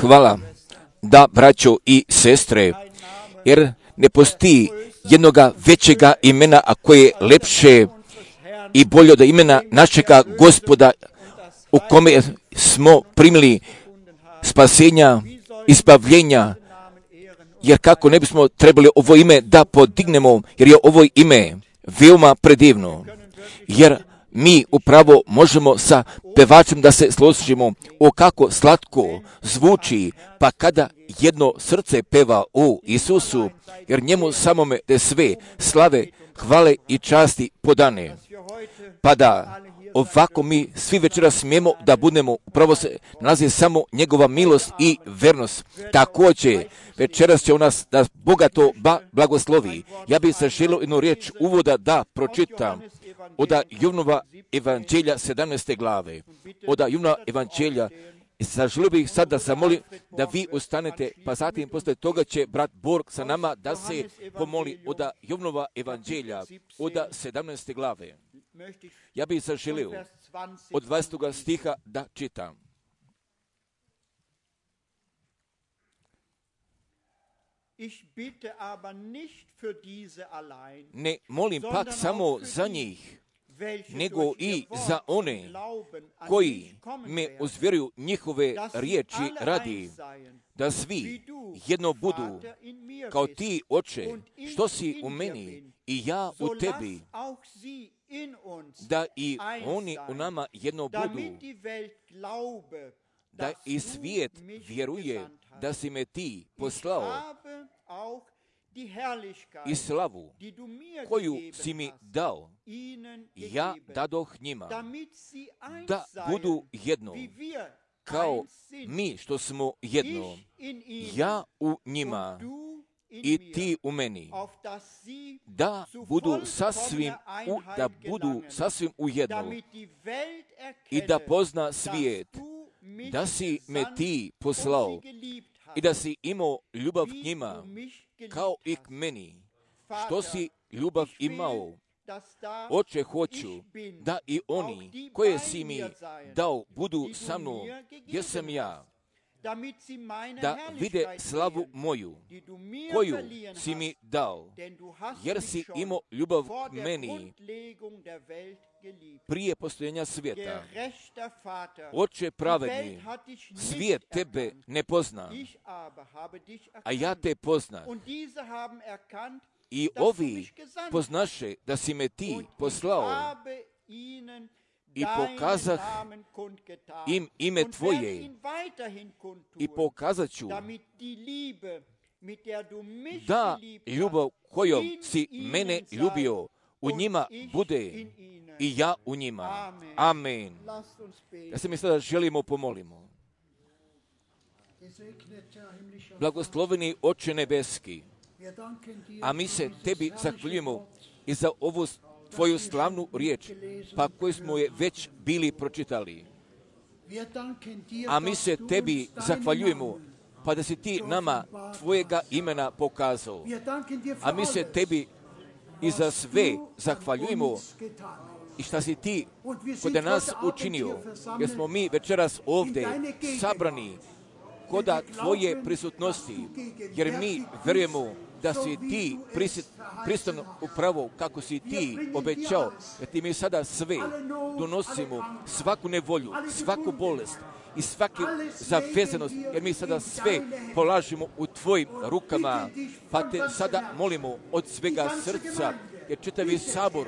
hvala da, braćo i sestre, jer ne postoji jednoga većega imena, a koje je lepše i bolje od imena našega Gospoda, u kome smo primili spasenja, izbavljenja, jer kako ne bismo trebali ovo ime da podignemo, jer je ovo ime veoma predivno, jer mi upravo možemo sa pevačem da se složimo o kako slatko zvuči, pa kada jedno srce peva o Isusu, jer njemu samome da sve slave, hvale i časti podane. Pa da ovako mi svi večera smijemo da budemo, upravo se nalazi samo njegova milost i vernost. Također, večeras će u nas da bogato blagoslovi. Ja bih se želio jednu riječ uvoda da pročitam od Jovnova evanđelja 17. glave. Od Jovnova evanđelja. Zaželio bih sad da zamolim da vi ustanete, pa zatim poslije toga će brat Borg sa nama da se pomoli od Jovnova evanđelja, od 17. glave. Ja bih zaželio od 20. stiha da čitam. Ne molim pak samo za njih, nego i za one koji me uzvjeruju njihove riječi radi, da svi jedno budu kao ti, Oče, što si u meni i ja u tebi, da i oni u nama jedno budu, da i svijet vjeruje da si me ti poslao i slavu koju si mi dao, ja dadoh njima, da budu jedno, kao mi što smo jedno, ja u njima i ti u meni, da budu sasvim u jedno i da pozna svijet da si me ti poslao i da si imao ljubav k njima kao i k meni, što si ljubav imao. Oče, hoću da i oni koje si mi dao budu sa mnom gdje sam ja, da vide slavu moju koju si mi dao, jer si imao ljubav k meni prije postojanja svijeta. Oče pravedni, svijet tebe ne pozna, a ja te poznam. I ovi poznaše da si me ti poslao i pokazah im ime tvoje i pokazat ću da ljubav kojom si mene ljubio u njima bude i ja u njima. Amen. Ja se mi sada želimo pomolimo. Blagosloveni Oče nebeski, a mi se tebi zahvaljujemo i za ovu tvoju slavnu riječ, pa koju smo je već bili pročitali. A mi se tebi zahvaljujemo, pa da si ti nama tvojega imena pokazao. A mi se tebi i za sve zahvaljujemo i šta si ti kod nas učinio, jer smo mi večeras ovdje sabrani koda tvoje prisutnosti, jer mi vjerujemo da si ti pristan upravo kako si ti obećao, jer ti mi sada sve donosimo, svaku nevolju, svaku bolest i svaku zavezanost, jer mi sada sve polažimo u tvojim rukama, pa te sada molimo od svega srca, jer čitavi sabor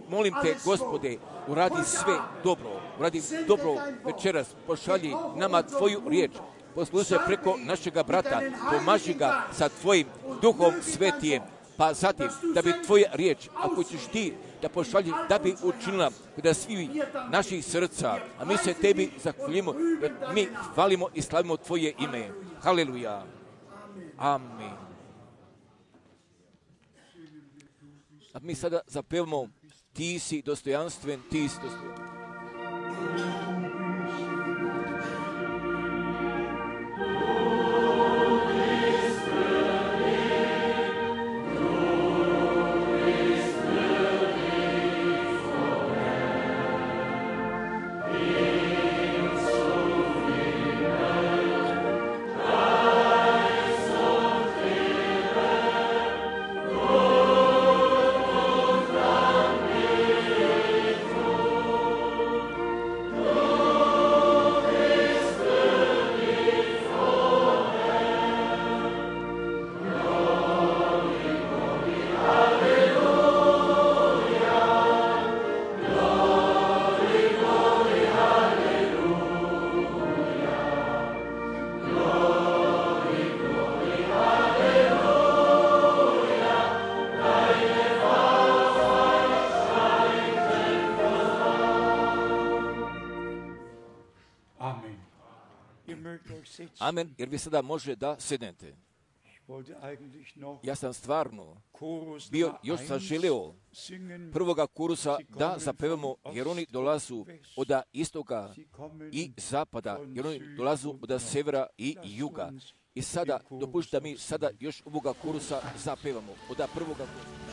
molim te, Gospode, uradi sve dobro večeras, pošalji nama tvoju riječ, poslušaj preko našega brata, pomaži ga sa tvojim duhom svetijem, pa zatim da bi tvoja riječ, ako ćeš ti da pošalji, da bi učinila da svi naših srca, a mi se tebi zahvaljujemo, jer mi hvalimo i slavimo tvoje ime. Haleluja. Amen. A mi sada zapevamo, ti si dostojanstven, ti si dostojanstven. Amen, jer vi sada može da sednete. Ja sam stvarno bio, još sam želeo prvoga kursa da zapevamo, jer oni dolazu od istoka i zapada, jer oni dolazu od severa i juga. I sada, dopušta mi sada još ovoga kursa zapevamo, od prvoga kursa.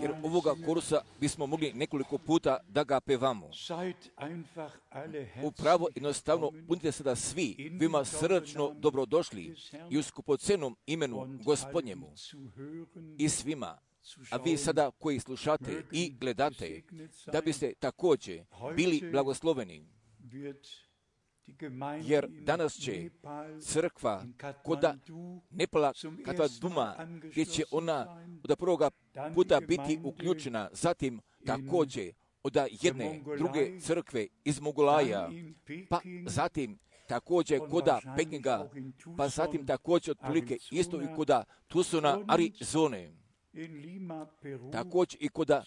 Jer ovoga kursa bismo mogli nekoliko puta da ga pevamo. Upravo jednostavno budite sada svi vima srdačno dobrodošli i u skupocenom imenu Gospodnjemu i svima, a vi sada koji slušate i gledate, da biste također bili blagosloveni. Jer danas će crkva koda Nepala Katmaduma, gdje će ona od prvoga puta biti uključena, zatim također od jedne druge crkve iz Mogolaja, pa zatim također koda Pekinga, pa zatim također otprilike isto i koda Tucsona, Arizone. Također i koda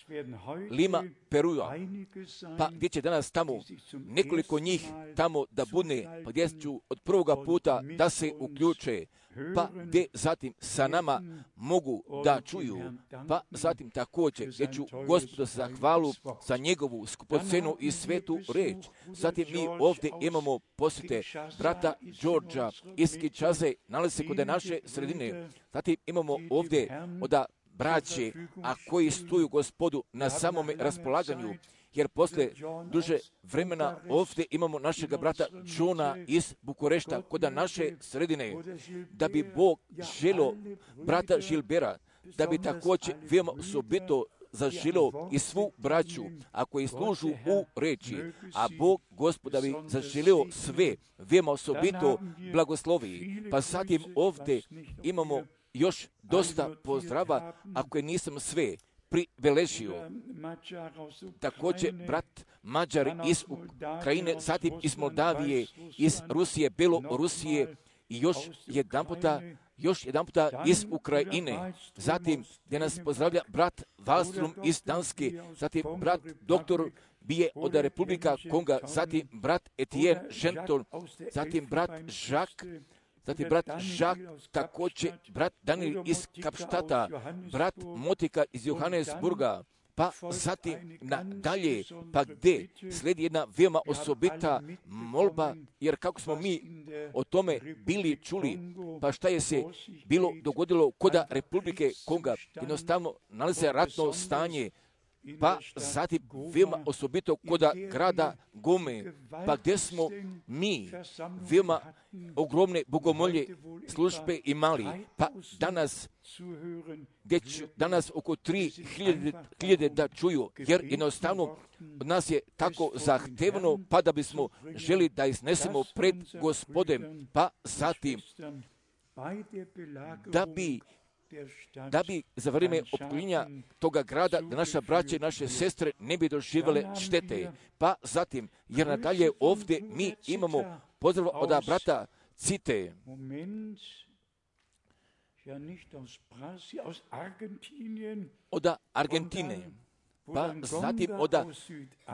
Lima, Perua, pa gdje će danas tamo nekoliko njih tamo da budne, pa gdje ću od prvoga puta da se uključe, pa gdje zatim sa nama mogu da čuju, pa zatim također gdje ću Gospodu zahvalu za njegovu skupocenu i svetu reč. Zatim mi ovdje imamo posjete brata Đorđa iz Kinshase, nalazi se kod naše sredine. Zatim imamo ovdje od braće, a koji stoju Gospodu na samome raspolaganju, jer posle duže vremena ovdje imamo našega brata Johna iz Bukurešta, kod naše sredine, da bi Bog želio brata Gilbera, da bi također veoma osobito zaželio i svu braću, a koji služu u reči, a Bog Gospoda bi zaželio sve, veoma osobito blagoslovi. Pa zatim ovdje imamo još dosta pozdrava, ako je nisam sve pribeležio. Također brat Mađar iz Ukrajine, zatim iz Moldavije, iz Rusije, Belorusije i još jedan puta iz Ukrajine. Zatim gdje nas pozdravlja brat Wallström iz Danske, zatim brat doktor Bije od Republika Konga, zatim brat Etienne Genton, zatim brat Jacques, također brat Daniel iz Kapštata, brat Motika iz Johannesburga, pa zatim nadalje, pa gdje slijedi jedna veoma osobita molba, jer kako smo mi o tome bili čuli, pa šta je se bilo dogodilo kod Republike Konga, jednostavno nalazi ratno stanje, pa zatim veoma osobito kod grada Gome, pa gdje smo mi veoma ogromne bogomolje službe imali, pa danas oko 3.000 da čuju, jer jednostavno od nas je tako zahtevno, pa da bismo želi da iznesemo pred Gospodem, pa zatim da bi za vrijeme opkoljenja toga grada, da naša braća i naše sestre ne bi doživjele štete. Pa zatim, jer nadalje ovdje mi imamo pozdrav od brata Cite. Od Argentine. Pa zatim od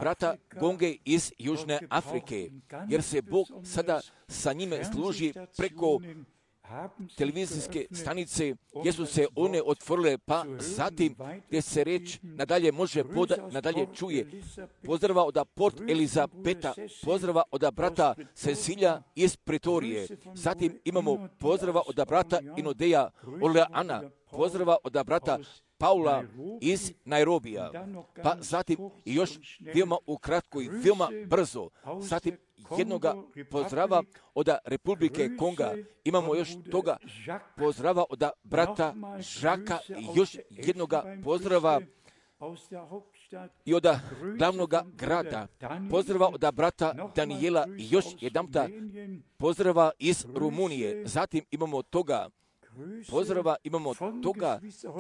brata Gonge iz Južne Afrike, jer se Bog sada sa njime služi preko televizijske stanice, gdje su se one otvorile, pa zatim gdje se reč nadalje može nadalje čuje. Pozdrava od Port Elizabeta, pozdrava od brata Cecilija iz Pretorije. Zatim imamo pozdrava od brata Inodeja Oleana, pozdrava od brata Paula iz Nairobija, pa zatim i još veoma ukratko i veoma brzo, zatim jednoga pozdrava od Republike Konga, imamo još toga pozdrava od brata Žaka i još jednoga pozdrava i od glavnog grada, pozdrava od brata Danijela i još jedanputa pozdrava iz Rumunije. Zatim imamo toga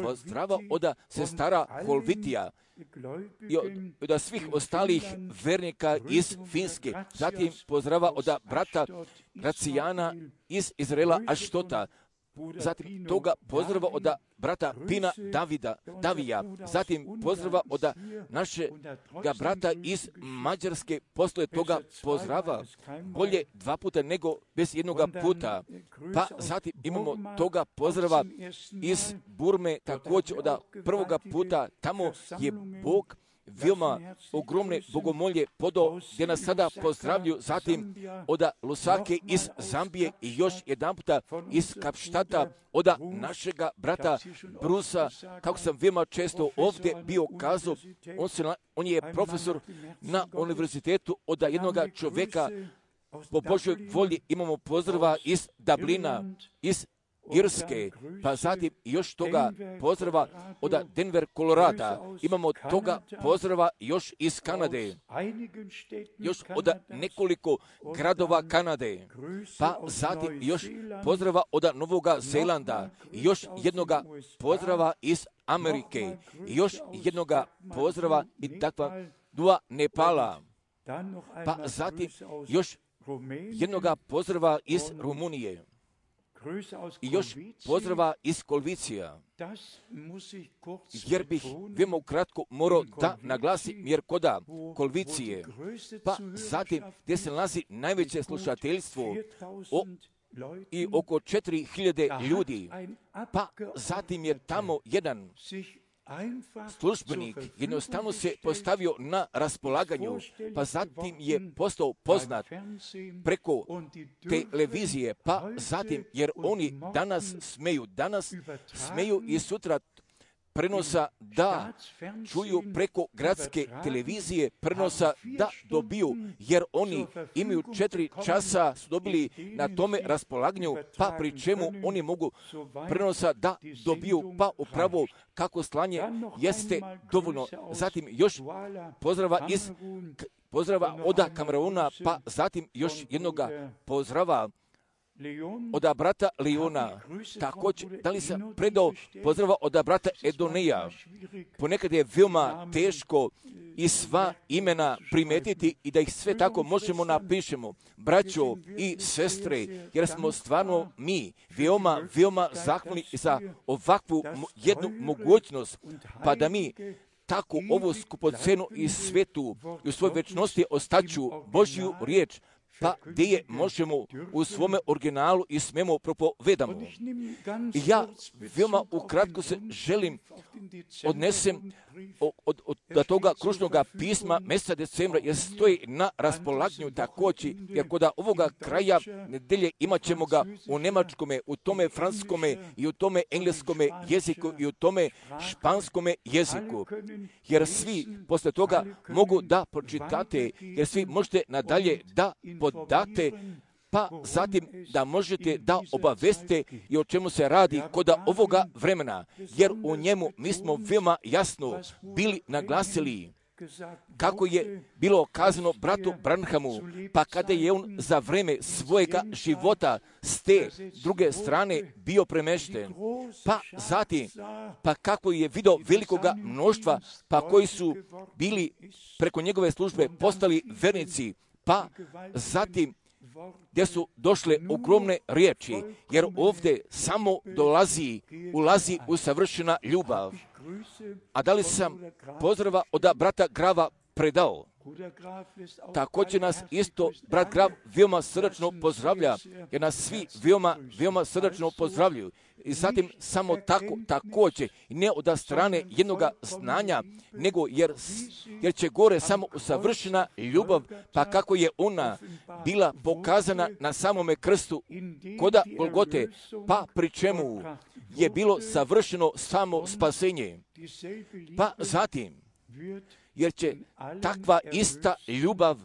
pozdrava od sestara Holvitija i od svih ostalih vernika iz Finske. Zatim pozdrava od brata Gracijana iz Izraela Aštota. Zatim toga pozdrava od brata Pina Davija. Zatim pozdrava od našega brata iz Mađarske. Posle toga pozdrava bolje 2 puta nego bez jednoga puta. Pa zatim imamo toga pozdrava iz Burme također od prvoga puta. Tamo je Bog veoma ogromne bogomolje podao gdje nas sada pozdravlju. Zatim od Lusake iz Zambije i još jedan puta iz Kapštata od našega brata Brusa, kako sam veoma često ovdje bio kazao, on je profesor na univerzitetu od jednog čovjeka po Božoj volji. Imamo pozdrava iz Dublina, iz Irske, pa zatim još toga pozdrava od Denver, Kolorada. Imamo toga pozdrava još iz Kanade, još od nekoliko gradova Kanade, pa zatim još pozdrava od Novoga Zelanda, još jednoga pozdrava iz Amerike, još jednoga pozdrava i takva dva Nepala, pa zatim još jednoga pozdrava iz Rumunije. I još pozdrava iz Kolvicija, jer bih veoma ukratko morao da naglasim, jer koda Kolvicije, pa zatim gdje se nalazi najveće slušateljstvo i oko 4000 ljudi, pa zatim je tamo jedan službenik jednostavno se postavio na raspolaganju, pa zatim je postao poznat preko televizije, pa zatim, jer oni danas smeju i sutra prenosa da čuju preko gradske televizije, prenosa da dobiju, jer oni imaju 4 časa su dobili na tome raspolaganju, pa pri čemu oni mogu prenosa da dobiju, pa upravo kako slanje jeste dovoljno. Zatim još pozdrava od Kameruna, pa zatim još jednoga pozdrava od brata Leona. Također, da li sam predao pozdrava od brata Edoneja? Ponekad je veoma teško i sva imena primetiti i da ih sve tako možemo napišemo. Braćo i sestre, jer smo stvarno mi veoma zahvalni za ovakvu jednu mogućnost, pa da mi tako ovu skupocenu i svetu i u svojoj večnosti ostaću Božju riječ, pa gdje je možemo u svome originalu i smemo propovedamo. I ja veoma ukratko se želim odnesem od toga kružnog pisma mjeseca decembra, jer stoji na raspolaganju također, jer kod ovoga kraja nedelje imat ćemo ga u njemačkome, u tome francuskome i u tome engleskome jeziku i u tome španskome jeziku. Jer svi posle toga mogu da pročitate, jer svi možete nadalje da podate, pa zatim da možete da obaveste i o čemu se radi kod ovoga vremena, jer u njemu mi smo veoma jasno bili naglasili kako je bilo kazano bratu Branhamu, pa kada je on za vreme svojega života s te druge strane bio premešten, pa zatim, pa kako je vidio velikoga mnoštva, pa koji su bili preko njegove službe postali vernici, pa zatim gdje su došle ogromne riječi, jer ovdje samo ulazi u savršena ljubav. A da li sam pozdrava od brata Grava predao? Također nas isto brat Graf veoma srdačno pozdravlja, jer nas svi veoma srdačno pozdravljaju. I zatim samo tako također, ne od strane jednoga znanja, nego jer će gore samo savršena ljubav, pa kako je ona bila pokazana na samome krstu koda Golgote, pa pri čemu je bilo savršeno samo spasenje. Pa zatim, jer će takva ista ljubav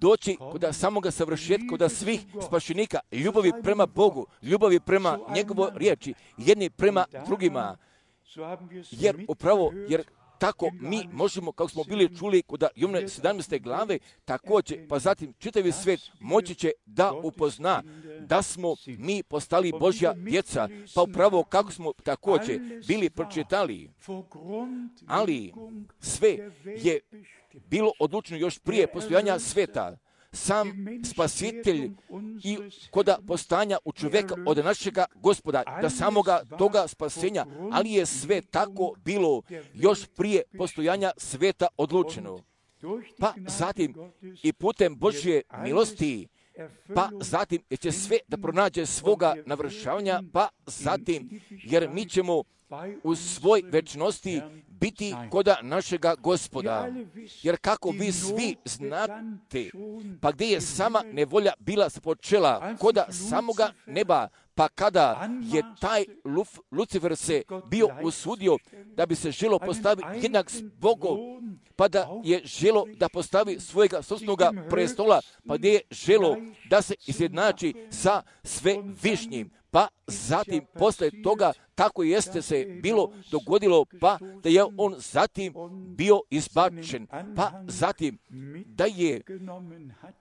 doći kod samoga savršetka, kod svih spašenika, ljubavi prema Bogu, ljubavi prema njegovoj riječi, jedni prema drugima. Jer tako mi možemo, kako smo bili čuli kod Jovne 17. glave, također, pa zatim čitavi svijet moći će da upozna da smo mi postali Božja djeca, pa upravo kako smo također bili pročitali. Ali sve je bilo odlučeno još prije postojanja sveta. Sam Spasitelj i koda postanja u čovjeka od našega Gospoda, da samoga toga spasenja, ali je sve tako bilo još prije postojanja sveta odlučeno. Pa zatim i putem Božje milosti, pa zatim će sve da pronađe svoga navršavanja, pa zatim jer mi ćemo u svoj večnosti biti koda našega Gospoda. Jer kako vi svi znate, pa gdje je sama nevolja bila počela, koda samoga neba, pa kada je taj Lucifer se bio usudio da bi se želo postaviti jednak s Bogom, pa da je želo da postavi svojega sopstvenoga prestola, pa gdje je želo da se izjednači sa svevišnjim. Pa zatim, posle toga, tako jeste se bilo dogodilo, pa da je on zatim bio izbačen, pa zatim da je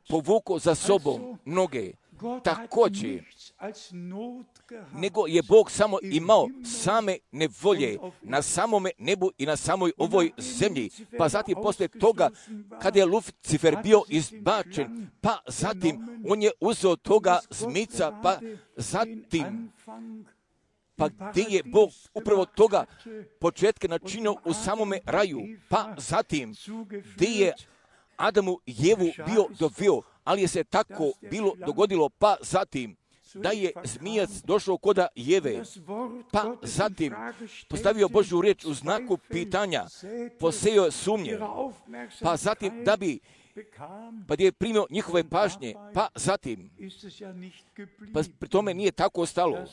povukao za sobom mnoge. Također, nego je Bog samo imao same nevolje na samome nebu i na samoj ovoj zemlji. Pa zatim posle toga, kada je Lucifer bio izbačen, pa zatim on je uzeo toga zmica, pa zatim pa gdje je Bog upravo toga početka načinio u samome raju, pa zatim gdje je Adamu i Jevu bio doveo, ali je se tako bilo dogodilo, pa zatim da je zmijac došao koda Jeve, pa zatim postavio Božju riječ u znaku pitanja, posejao sumnje, pa zatim da bi pa gdje je primio njihove pažnje, pa zatim pa pri tome nije tako ostalo,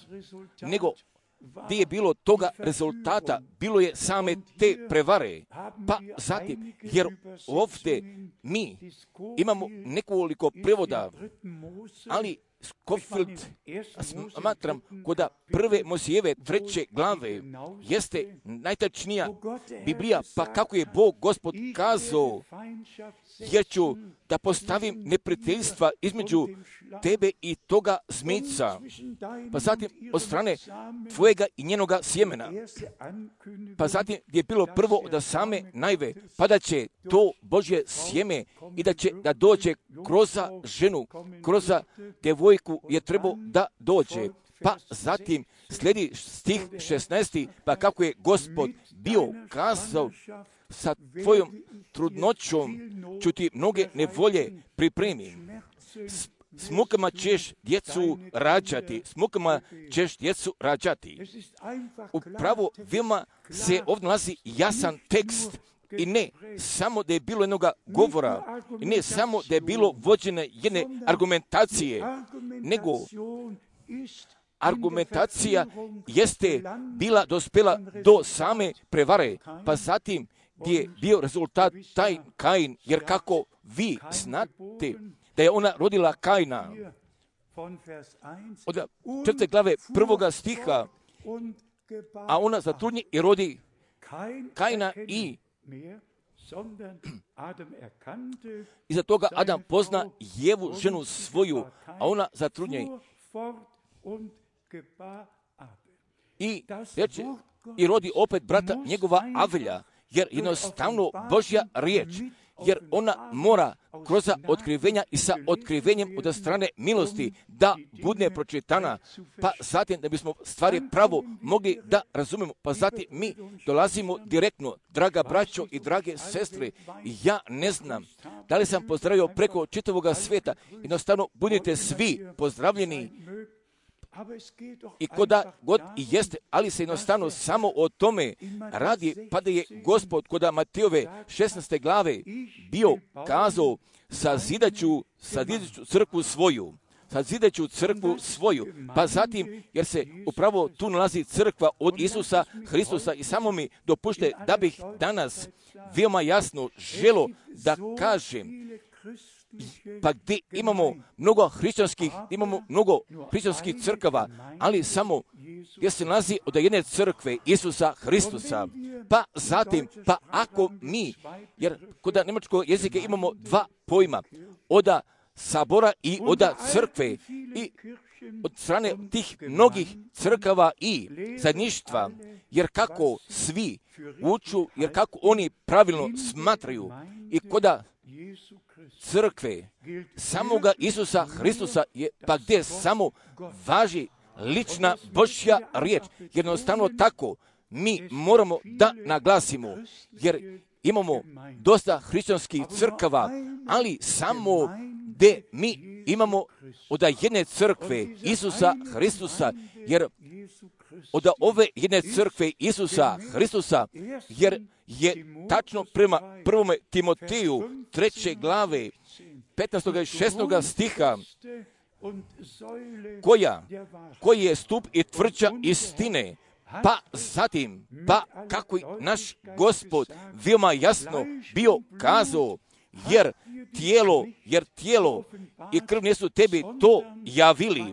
nego gdje je bilo toga rezultata, bilo je same te prevare. Pa zatim, jer ovdje mi imamo nekoliko prevoda, ali Scofield smatram koda prve Mojsijeve 3. glave jeste najtačnija Biblija, pa kako je Bog Gospod kazao, jer ću da postavim neprijateljstva između tebe i toga zmica, pa zatim od strane tvojega i njenoga sjemena, pa zatim je bilo prvo od same najve, pa da će to Božje sjeme i da će da dođe kroz ženu, kroz djevojku je trebao da dođe. Pa zatim slijedi stih 16. pa kako je Gospod bio kazao, sa tvojom trudnoćom ću ti mnoge nevolje pripremim. S mukama ćeš djecu rađati. Upravo veoma se ovdje nalazi jasan tekst i ne samo da je bilo jednoga govora, i ne samo da je bilo vođene jedne argumentacije, nego argumentacija jeste bila dospela do same prevare, pa zatim gdje je bio rezultat taj Kain, jer kako vi znate da je ona rodila Kaina, od 4. glave 1. stiha, a ona zatrudnji i rodi Kaina i iza toga Adam pozna Jevu, ženu svoju, a ona zatrudnji i rodi opet brata njegova Avelja, jer jednostavno Božja riječ jer ona mora kroz otkrivenja i sa otkrivenjem od strane milosti da bude pročitana, pa zatim da bismo stvari pravo mogli da razumemo, pa zatim mi dolazimo direktno, draga braćo i drage sestre, ja ne znam da li sam pozdravio preko čitavoga svijeta, jednostavno budite svi pozdravljeni, i koda god i jeste, ali se jednostavno samo o tome radi, pa da je Gospod koda Matejove 16. glave bio kazao sazidaću crkvu svoju, pa zatim, jer se upravo tu nalazi crkva od Isusa Hristusa, i samo mi dopušte da bih danas veoma jasno želo da kažem, pa gdje imamo mnogo hrišćanskih crkava, ali samo gdje se nalazi od jedne crkve Isusa Hristusa, pa zatim, pa ako mi, jer kod njemačkog jezika imamo dva pojma, oda sabora i oda crkve, i od strane tih mnogih crkava i zajedništva, jer kako svi uču, jer kako oni pravilno smatraju, i koda crkve samoga Isusa Hristusa je, pa gdje samo važi lična Božja riječ. Jednostavno tako mi moramo da naglasimo, jer imamo dosta hrišćanskih crkava, ali samo gdje mi imamo od jedne crkve Isusa Hristusa, jer od ove jedne crkve Isusa Hristusa, jer je tačno prema 1. Timoteju 3. glave 15. i 16. stiha, koji je stup i tvrđa istine, pa zatim, pa kako naš Gospod veoma jasno bio kazao, jer tijelo i krv nisu tebi to javili,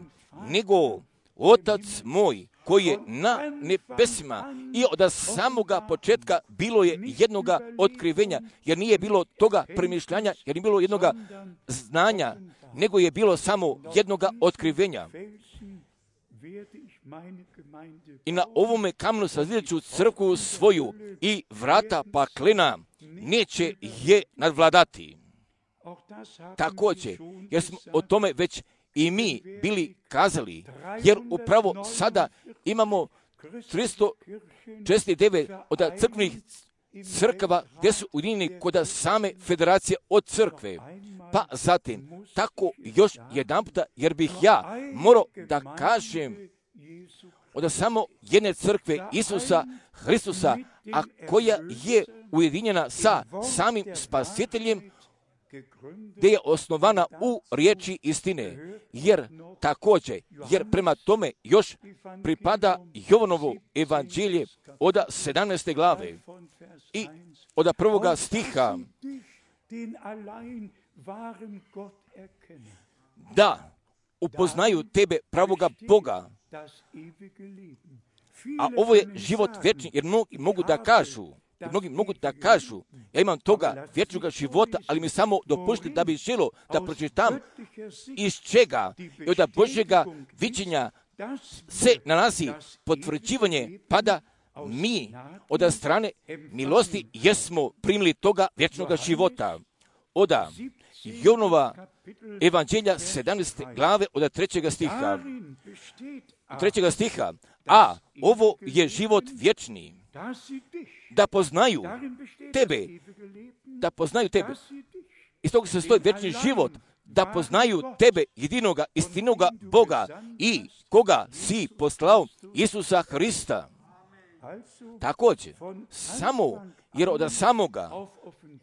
nego Otac moj koji je na nebesima, i od samoga početka bilo je jednoga otkrivenja, jer nije bilo toga premišljanja, jer nije bilo jednoga znanja, nego je bilo samo jednoga otkrivenja. I na ovome kamenu sazidaću crkvu svoju, i vrata paklena neće je nadvladati. Također, jer smo o tome već i mi bili kazali, jer upravo sada imamo 369 od crkvenih crkava gdje su ujedinjeni kod same federacije od crkve. Pa zatim, tako još jedan puta, jer bih ja morao da kažem od samo jedne crkve Isusa Hristusa, a koja je ujedinjena sa samim Spasiteljem, gdje je osnovana u riječi istine, jer također, jer prema tome još pripada Jovanovo evanđelje od 17. glave i od 1. stiha, da upoznaju tebe pravoga Boga, a ovo je život vječni, jer mnogi mogu da kažu, ja imam toga vječnoga života, ali mi samo dopušti da bi želo da pročitam iz čega i od Božjega viđenja se nalazi potvrđivanje, pa da mi od strane milosti jesmo primili toga vječnoga života. Od Jovanova evanđelja 17. glave od 3. stiha. A ovo je život vječni, da poznaju tebe. Iz toga se stoji vječni život, da poznaju tebe, jedinoga, istinoga Boga, i koga si poslao, Isusa Hrista. Također, samo, jer od samoga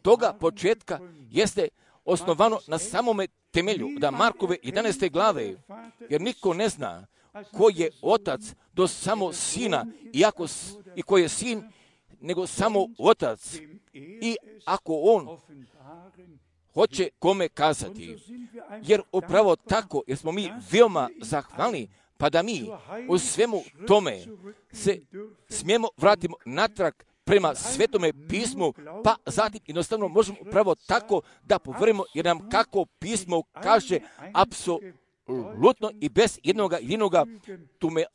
toga početka jeste osnovano na samome temelju, da Markove 11. glave, jer niko ne zna ko je otac do samo sina, i ko je sin, nego samo otac, i ako on hoće kome kazati. Jer upravo tako, jer smo mi veoma zahvalni, pa da mi u svemu tome se smijemo vratimo natrag prema Svetome pismu, pa zatim jednostavno možemo upravo tako da poverimo, jer nam kako pismo kaže apsolutno i bez jednoga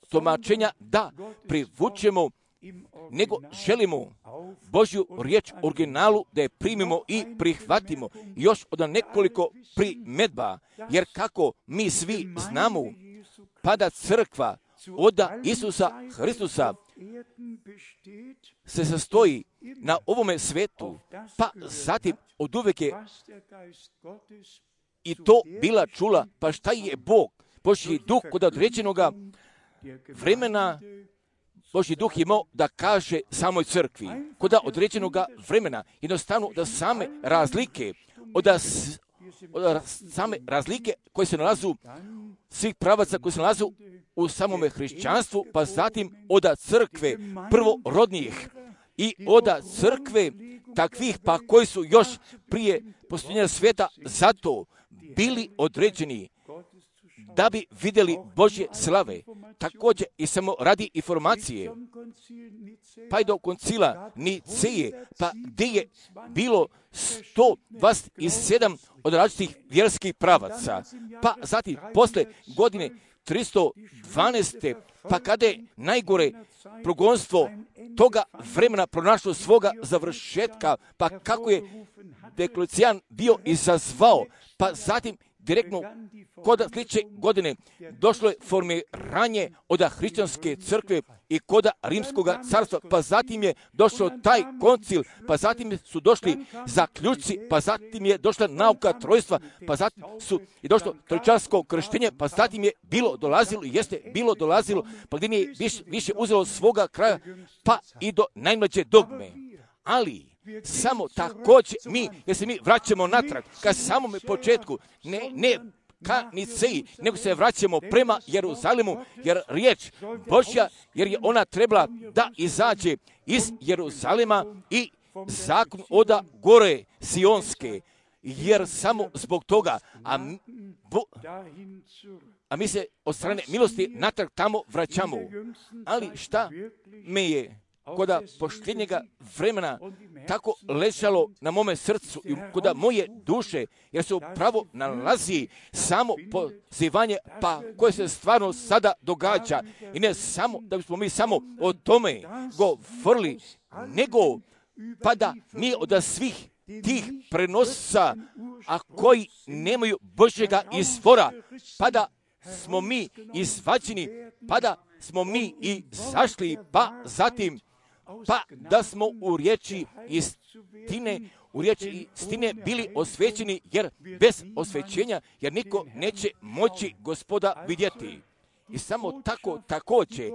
tumačenja da privučemo, nego želimo Božju riječ u originalu, da je primimo i prihvatimo. Još od nekoliko primjedba, jer kako mi svi znamo, pada crkva od Isusa Hristusa se sastoji na ovome svetu, pa zatim od uvijek je i to bila čula, pa šta je Bog, Božji duh kod određenoga vremena, Božji duh je imao da kaže samoj crkvi, kod određenoga vremena, jednostavno da same razlike, od same razlike koje se nalazu, svih pravaca koji se nalazu u samome hrišćanstvu, pa zatim od crkve prvorodnijih i od crkve takvih pa koji su još prije postojenja svijeta zato bili određeni da bi vidjeli Božje slave. Također i samo radi informacije, pa i do koncila Niceje, pa gdje je bilo 127 od različitih vjerskih pravaca, pa zatim posle godine 312. pa kada je najgore progonstvo toga vremena pronašlo svoga završetka, pa kako je Dioklecijani bio izazvao, pa zatim direktno kod sljedeće godine došlo je formiranje od hrišćanske crkve i kod rimskog carstva, pa zatim je došao taj koncil, pa zatim su došli zaključci, pa zatim je došla nauka trojstva, pa zatim je došlo trojčarsko krštenje, pa zatim je bilo dolazilo, pa gdje nije više uzelo svoga kraja, pa i do najmlađe dogme. Ali samo također jer se mi vraćamo natrag ka samome početku, ne ka Niceji, nego se vraćamo prema Jeruzalemu, jer riječ Božja, jer je ona trebala da izađe iz Jeruzalema i zakon od gore Sionske, jer samo zbog toga, a mi se od strane milosti natrag tamo vraćamo. Ali šta me je kod posljednjega vremena tako ležalo na mome srcu i kod moje duše, jer se upravo nalazi samo pozivanje, pa koje se stvarno sada događa. I ne samo da bismo mi samo o tome govorili, nego pa da mi od svih tih prenosa, a koji nemaju Božjega izvora, pa da smo mi izvađeni, pa da smo mi izašli, pa zatim pa da smo u riječi istine bili osvećeni, jer bez osvećenja, jer niko neće moći Gospoda vidjeti. I samo tako također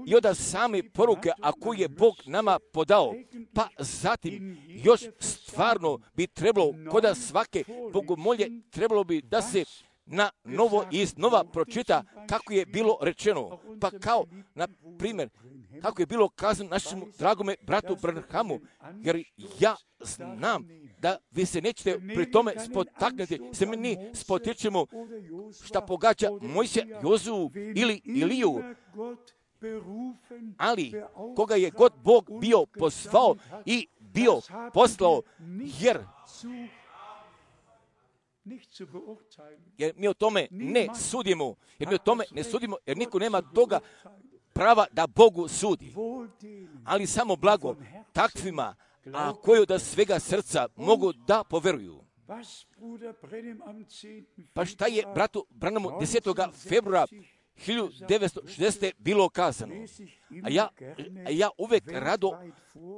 i od same poruke, a koju je Bog nama podao, pa zatim još stvarno bi trebalo, kod svake bogomolje, trebalo bi da se na novo i iznova pročita kako je bilo rečeno. Pa kao, na primjer, kako je bilo kazano našemu dragome bratu Branhamu, jer ja znam da vi se nećete pri tome spotaknuti, se mi spotičemo šta pogađa Mojsija, Jozu ili Iliju, ali koga je god Bog bio pozvao i bio poslao, jer mi o tome ne sudimo, jer niko nema toga prava da Bogu sudi, ali samo blago takvima, a koji od svega srca mogu da poveruju. Pa šta je bratu Branhamu 10. februara 1960. bilo kazano, a ja uvek rado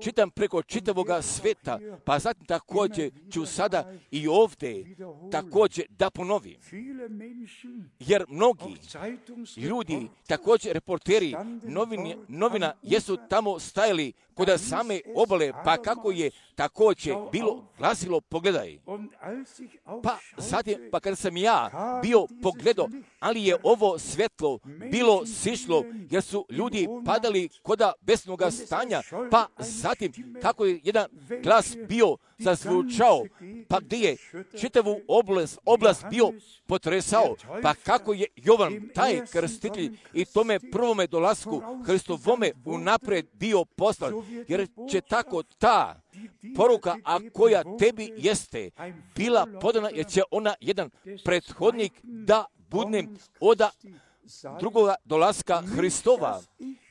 čitam preko čitavoga sveta, pa zatim također ću sada i ovdje također da ponovim. Jer mnogi ljudi, također reporteri novina, jesu tamo stajali kod same obale, pa kako je također bilo glasilo, pogledaj. Pa zatim, pa kada sam ja bio pogledao, ali je ovo svetlo bilo sišlo, jer su ljudi padali kod besnoga stanja, pa zatim kako je jedan glas bio zazvučao, pa gdje je čitavu oblast bio potresao, pa kako je Jovan, taj krstitelj, i tome prvome dolasku Hristovome unaprijed bio poslan, jer će tako ta poruka, a koja tebi jeste bila podana, jer će ona jedan prethodnik da budne od drugoga dolaska Hristova.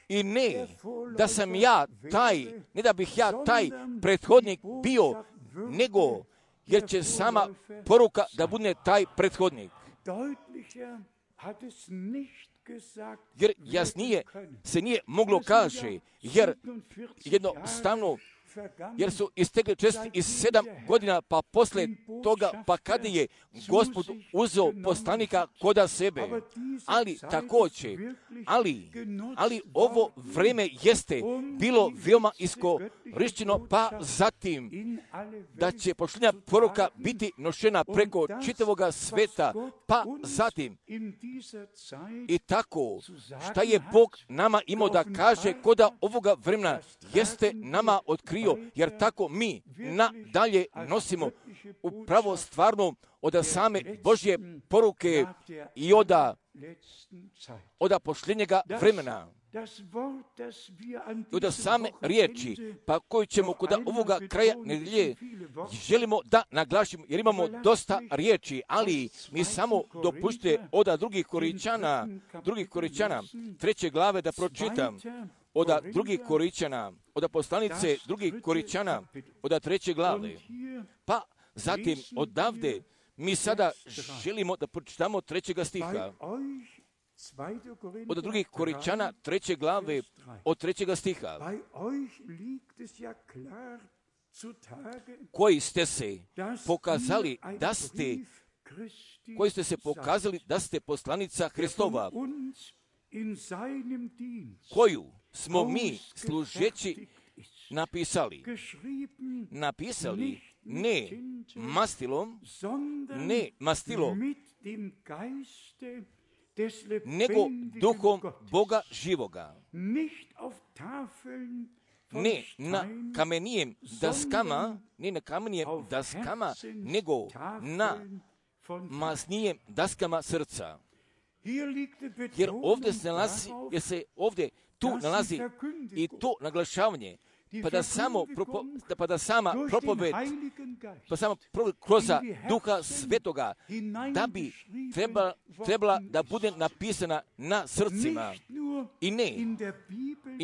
I ne da sam ja taj, ne da bih ja taj prethodnik bio, nego jer će sama poruka da bude taj prethodnik. Jer jasnije se nije moglo kaže, jer jednostavno, jer su istekli 47 godina, pa posle toga, pa kada je Gospod uzeo poslanika koda sebe, ali također, ali ovo vreme jeste bilo veoma iskorišćeno, pa zatim da će pošljenja poruka biti nošena preko čitavoga sveta, pa zatim i tako, šta je Bog nama imao da kaže koda ovoga vremena jeste nama otkrio, jer tako mi nadalje nosimo upravo stvarno od same Božje poruke i od pošljenjega vremena. I od same riječi, pa koju ćemo kod ovoga kraja nedelje želimo da naglašimo, jer imamo dosta riječi, ali mi samo dopustite od drugih Koričana, 3. glave da pročitam, od drugih Koričana, od poslanice drugih Koričana, od 3. glave. Pa zatim odavde mi sada želimo da pročitamo 3. stiha. Od drugih Koričana 3. glave od 3. stiha. Koji ste se pokazali da ste poslanica Hristova, koju smo mi služeći napisali ne mastilom, nego duhom Boga živoga, ne na kamenijem daskama, nego na masnijem daskama srca. Jer ovdje tu nalazi i to naglašavanje, pa da sama propoved kroz Duha Svetoga, da bi trebala da bude napisana na srcima. I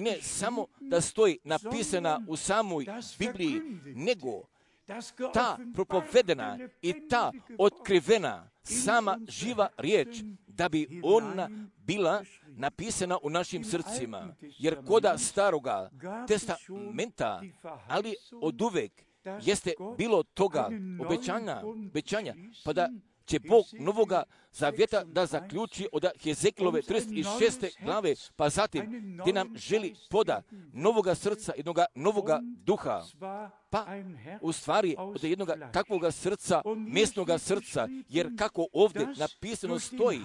ne samo da stoji napisana u samoj Bibliji, nego ta propovedena i ta otkrivena sama živa riječ, da bi ona bila napisana u našim srcima. Jer koda staroga testamenta, ali od uvek jeste bilo toga obećanja, pa da će Bog novoga zavjeta da zaključi od Hezekilove 36. glave, pa zatim gdje nam želi poda novoga srca, jednoga novoga duha, pa u stvari od jednoga takvoga srca, mjesnoga srca, jer kako ovdje napisano stoji,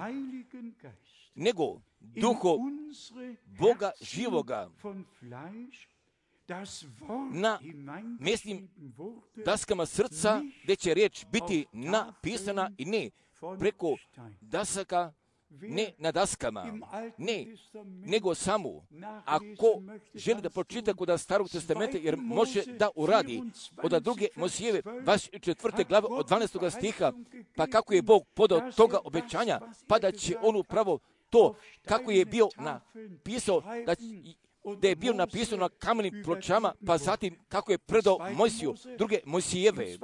nego duho Boga živoga na mjesnim daskama srca, gdje će riječ biti napisana i ne preko dasaka, ne na daskama, ne, nego samo ako želi da pročita kod starog testamenta, jer može da uradi od druge Mojsijeve 24. glave od 12. stiha, pa kako je Bog podao toga obećanja, pa da će on upravo to, kako je bio napisao, da je bio napisano na kamenim pločama, pa zatim kako je predao Mojsiju, druge Mojsijeve,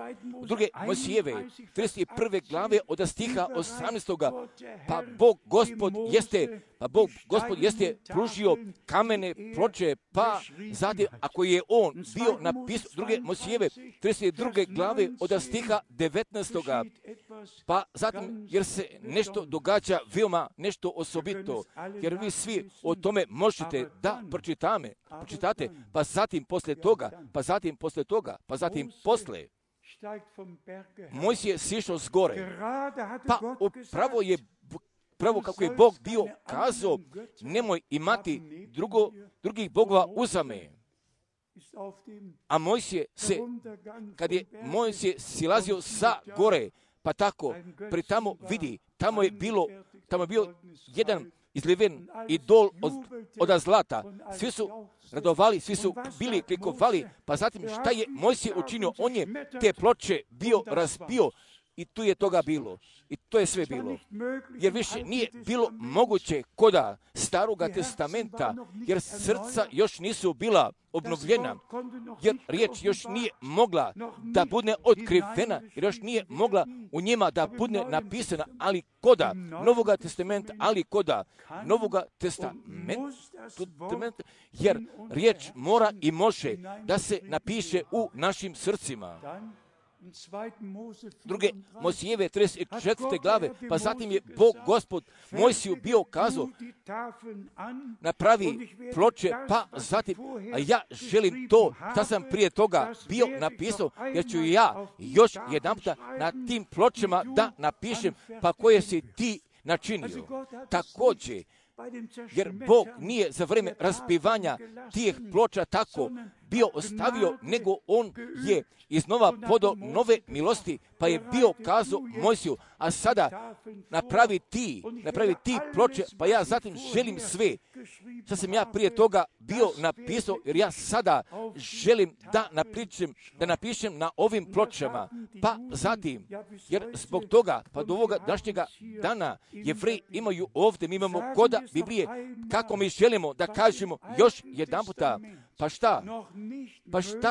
31. glave od stiha 18. Pa Bog Gospod jeste pružio kamene ploče, pa zatim ako je on bio napisao druge Mojsijeve, 32. glave od stiha 19. Pa zatim, jer se nešto događa veoma nešto osobito, jer vi svi o tome možete da pročitate, pa zatim posle toga, Mojsije sišao s gore, pa upravo kako je Bog bio kazao, nemoj imati drugih bogova uzame. A kad je Mojsije silazio sa gore, pa tako, pri tamo vidi, tamo je bio jedan izliven idol od zlata. Svi su radovali, svi su bili klikovali, pa zatim šta je Mojsije učinio? On je te ploče bio razbio I tu je toga bilo. I to je sve bilo. Jer više nije bilo moguće koda Staroga testamenta, jer srca još nisu bila obnovljena, jer riječ još nije mogla da bude otkrivena, jer još nije mogla u njima da bude napisana, ali koda Novoga testamenta, ali koda Novoga testamenta, jer riječ mora i može da se napiše u našim srcima. Druge Mojsijeve 34. glave, pa zatim je Bog Gospod Mojsiju bio kazao, napravi ploče, pa zatim, a ja želim to, što sam prije toga bio napisao, jer ću ja još jedanputa na tim pločama da napišem, pa koje si ti načinio. Također, jer Bog nije za vrijeme raspivanja tih ploča tako bio ostavio, nego on je iznova podao nove milosti, pa je bio kazao Mojsiju, a sada napravi ti ploče, pa ja zatim želim sve. Sad sam ja prije toga bio napisao, jer ja sada želim da napišem na ovim pločama, pa zatim, jer zbog toga, pa do ovoga današnjega dana, Jevreji imaju ovdje, mi imamo koda Biblije, kako mi želimo da kažemo još jedan puta, pa šta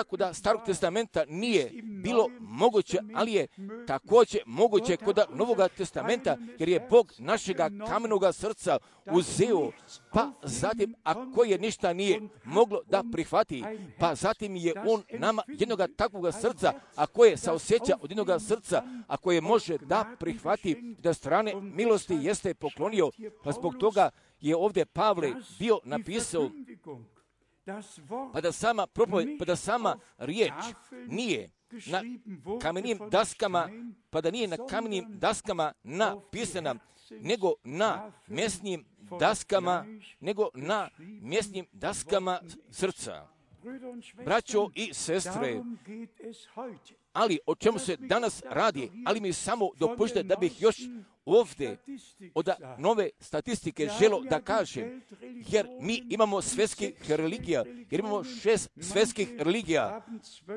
kod Starog testamenta nije bilo moguće, ali je također moguće kod Novoga testamenta, jer je Bog našega kamenoga srca uzeo, pa zatim, ako je ništa nije moglo da prihvati, pa zatim je on nama jednoga takvoga srca, a koje saosjeća od jednoga srca, a koje može da prihvati, da strane milosti jeste poklonio, pa zbog toga je ovdje Pavle bio napisao, pa da sama propoved, pa da sama riječ nije na kamenim daskama, pa da nije na kamenim daskama napisana, nego na mjesnim daskama srca. Braćo i sestre, ali o čemu se danas radi, ali mi samo dopustite da bih još ovdje od nove statistike želo da kažem, jer mi imamo svjetskih religija, jer imamo 6 svjetskih religija,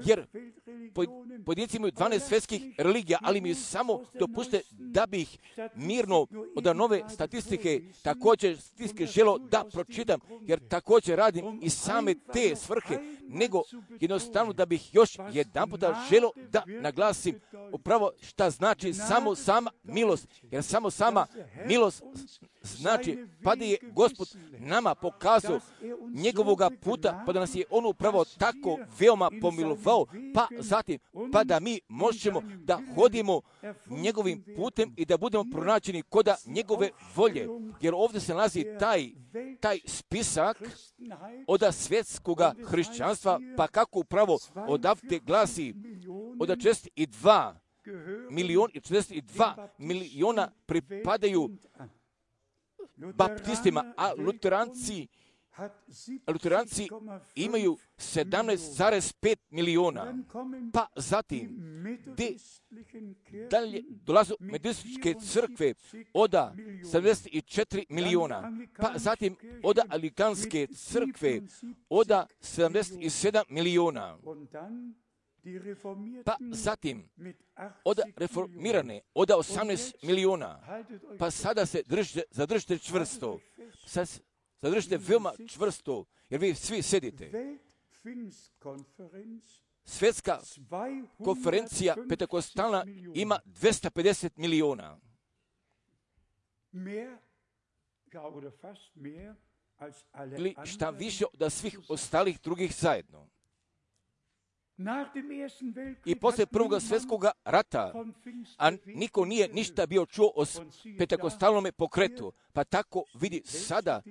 jer pojedinci imaju 12 svjetskih religija, ali mi samo dopustite da bih mirno od nove statistike također statistike želo da pročitam, jer također radim i same te svrhe, nego jednostavno da bih još jedan puta želo da naglasim upravo šta znači samo sama milost, jer samo sama milost znači pa da je Gospod nama pokazao njegovoga puta, pa da nas je on upravo tako veoma pomilovao, pa zatim pa da mi možemo da hodimo njegovim putem i da budemo pronađeni koda njegove volje, jer ovdje se nalazi taj spisak od svjetskoga hrišćanstva, pa kako upravo odavde glasi od 42 miliona pripadaju baptistima, a luteranci imaju 17,5 miliona. Pa zatim, dalje dolazu metodističke crkve od 74 miliona. Pa zatim od anglikanske crkve od 77 miliona. Pa zatim, od reformirane, od 18 miliona, pa sada se zadržite čvrsto, zadržite veoma čvrsto, jer vi svi sedite. Svjetska konferencija Pentekostalna ima 250 miliona. Ili šta više od svih ostalih drugih zajedno. I poslije Prvog svjetskog rata, a niko nije ništa bio čuo o pentekostalnome pokretu, pa tako vidi sada,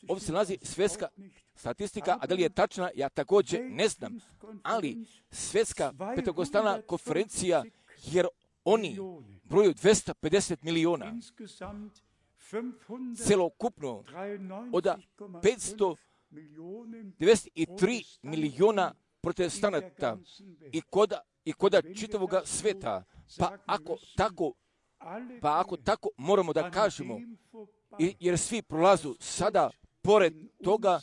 ovdje se nalazi svjetska statistika, a da li je tačna, ja također ne znam, ali svjetska pentekostalna konferencija, jer oni broju 250 miliona, celokupno od 593 miliona protestanata i koda čitavog sveta, pa ako tako moramo da kažemo, jer svi prolazu sada pored toga,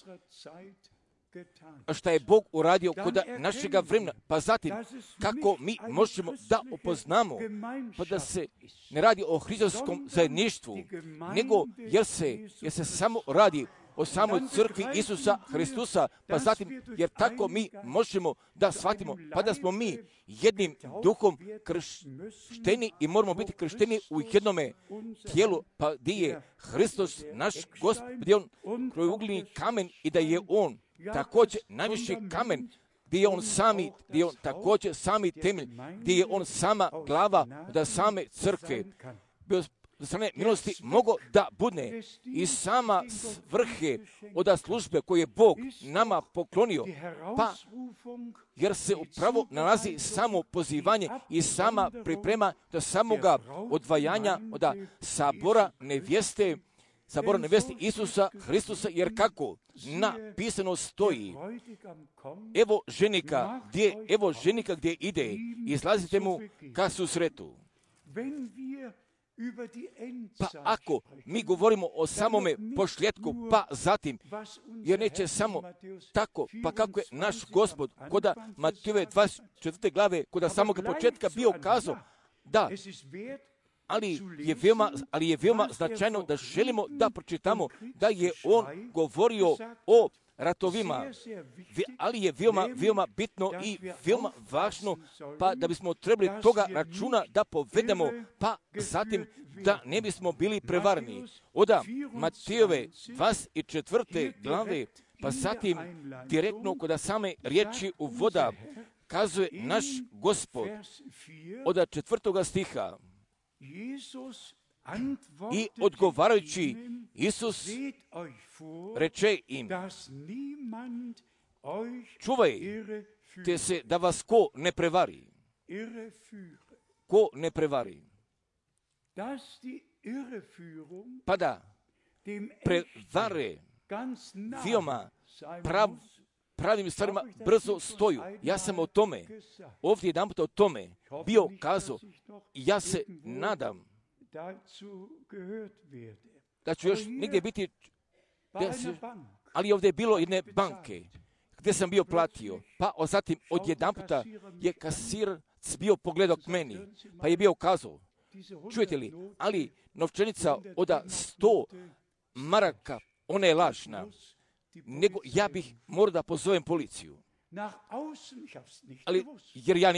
šta je Bog uradio kod našega vremena, pa zatim kako mi možemo da upoznamo, pa da se ne radi o hristovskom zajedništvu, nego jer se samo radi o samoj crkvi Isusa Hristusa, pa zatim, jer tako mi možemo da shvatimo, pa da smo mi jednim duhom kršteni i moramo biti kršteni u jednome tijelu, pa gdje je Hristos naš Gospod, gdje je on krajougljeni kamen i da je on također najviši kamen, gdje je on također sami temelj, gdje je on sama glava da same crkve. Do strane milosti mogo da budne i sama svrhe od službe koje je Bog nama poklonio, pa jer se upravo nalazi samo pozivanje i sama priprema do samoga odvajanja od sabora nevjeste Isusa Hristusa, jer kako napisano stoji, evo ženika gdje ide, izlazite mu ka susretu. Pa ako mi govorimo o samome pošljetku, pa zatim, jer neće samo tako, pa kako je naš Gospod kod Matejove 24. glave, kod samog početka bio kazao, da, ali je veoma značajno da želimo da pročitamo da je on govorio o ratovima, ali je veoma bitno i veoma važno, pa da bismo trebali toga računa da povedemo, pa zatim da ne bismo bili prevarni. Od Matejove 24. glave, pa zatim direktno kod same riječi uvoda kazuje naš Gospod od 4. stiha. I odgovarajući Isus reče im, čuvajte se da vas ko ne prevari. Ko ne prevari. Pa da prevare veoma pravim stvarima brzo stoju. Ja sam o tome, ovdje jedan put o tome bio kazao i ja se nadam da ću još negdje biti, ali ovdje je bilo jedne banke gdje sam bio platio, pa zatim odjedan puta je kasirac bio pogledao k meni, pa je bio kazao, čujete li, ali novčanica od 100 maraka, ona je lažna, nego ja bih morao da pozovem policiju. Ali, jer ja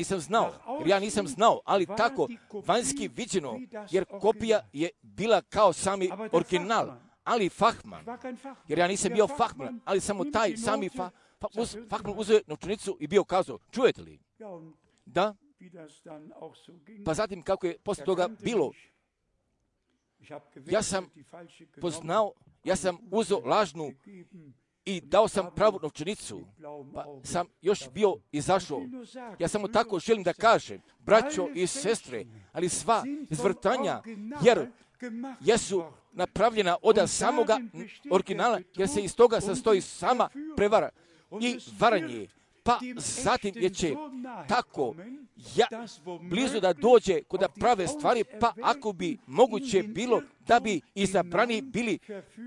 nisam znao, ali tako vanjski viđeno, jer kopija je bila kao sami original, ali fahman, jer ja nisam bio fahman, ali samo taj sami fahman uzeo novčanicu i bio kazao, čujete li? Da? Pa zatim kako je posle toga bilo, ja sam poznao, ja sam uzeo lažnu i dao sam pravu novčanicu, pa sam još bio izašao. Ja samo tako želim da kažem, braćo i sestre, ali sva izvrtanja, jer jesu napravljena od samoga originala, jer se iz toga sastoji sama prevara i varanje. Pa zatim je će tako blizu da dođe kod prave stvari, pa ako bi moguće bilo da bi izabrani bili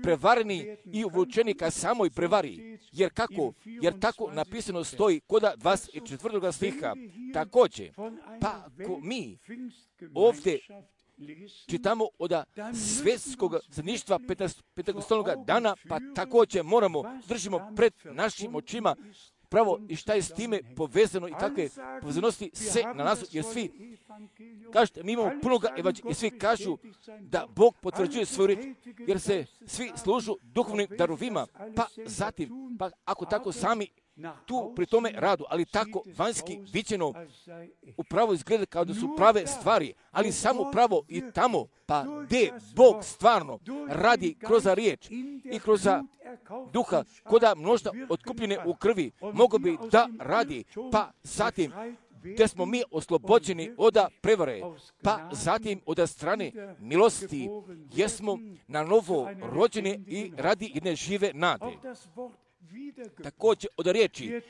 prevareni i uvučeni ka samoj prevari. Jer tako napisano stoji kod 24. stiha. Također, pa ako mi ovdje čitamo od svjetskog zajedništva Pentekostalnog dana, pa također držimo pred našim očima pravo i šta je s time povezano i kakve povezanosti se nalazu, jer svi, kažete, mi imamo punoga evanđelja i svi kažu da Bog potvrđuje svoju riječ, jer se svi služu duhovnim darovima, pa zatim, pa ako tako sami tu pri tome radu, ali tako vanjski viđeno upravo izgleda kao da su prave stvari, ali samo pravo i tamo, pa gdje Bog stvarno radi kroz riječ i kroz duha, koda množda otkupljene u krvi, mogo bi da radi, pa zatim gdje smo mi oslobođeni od prevare, pa zatim od strane milosti, jesmo na novo rođeni i radi jedne žive nade. Također od riječi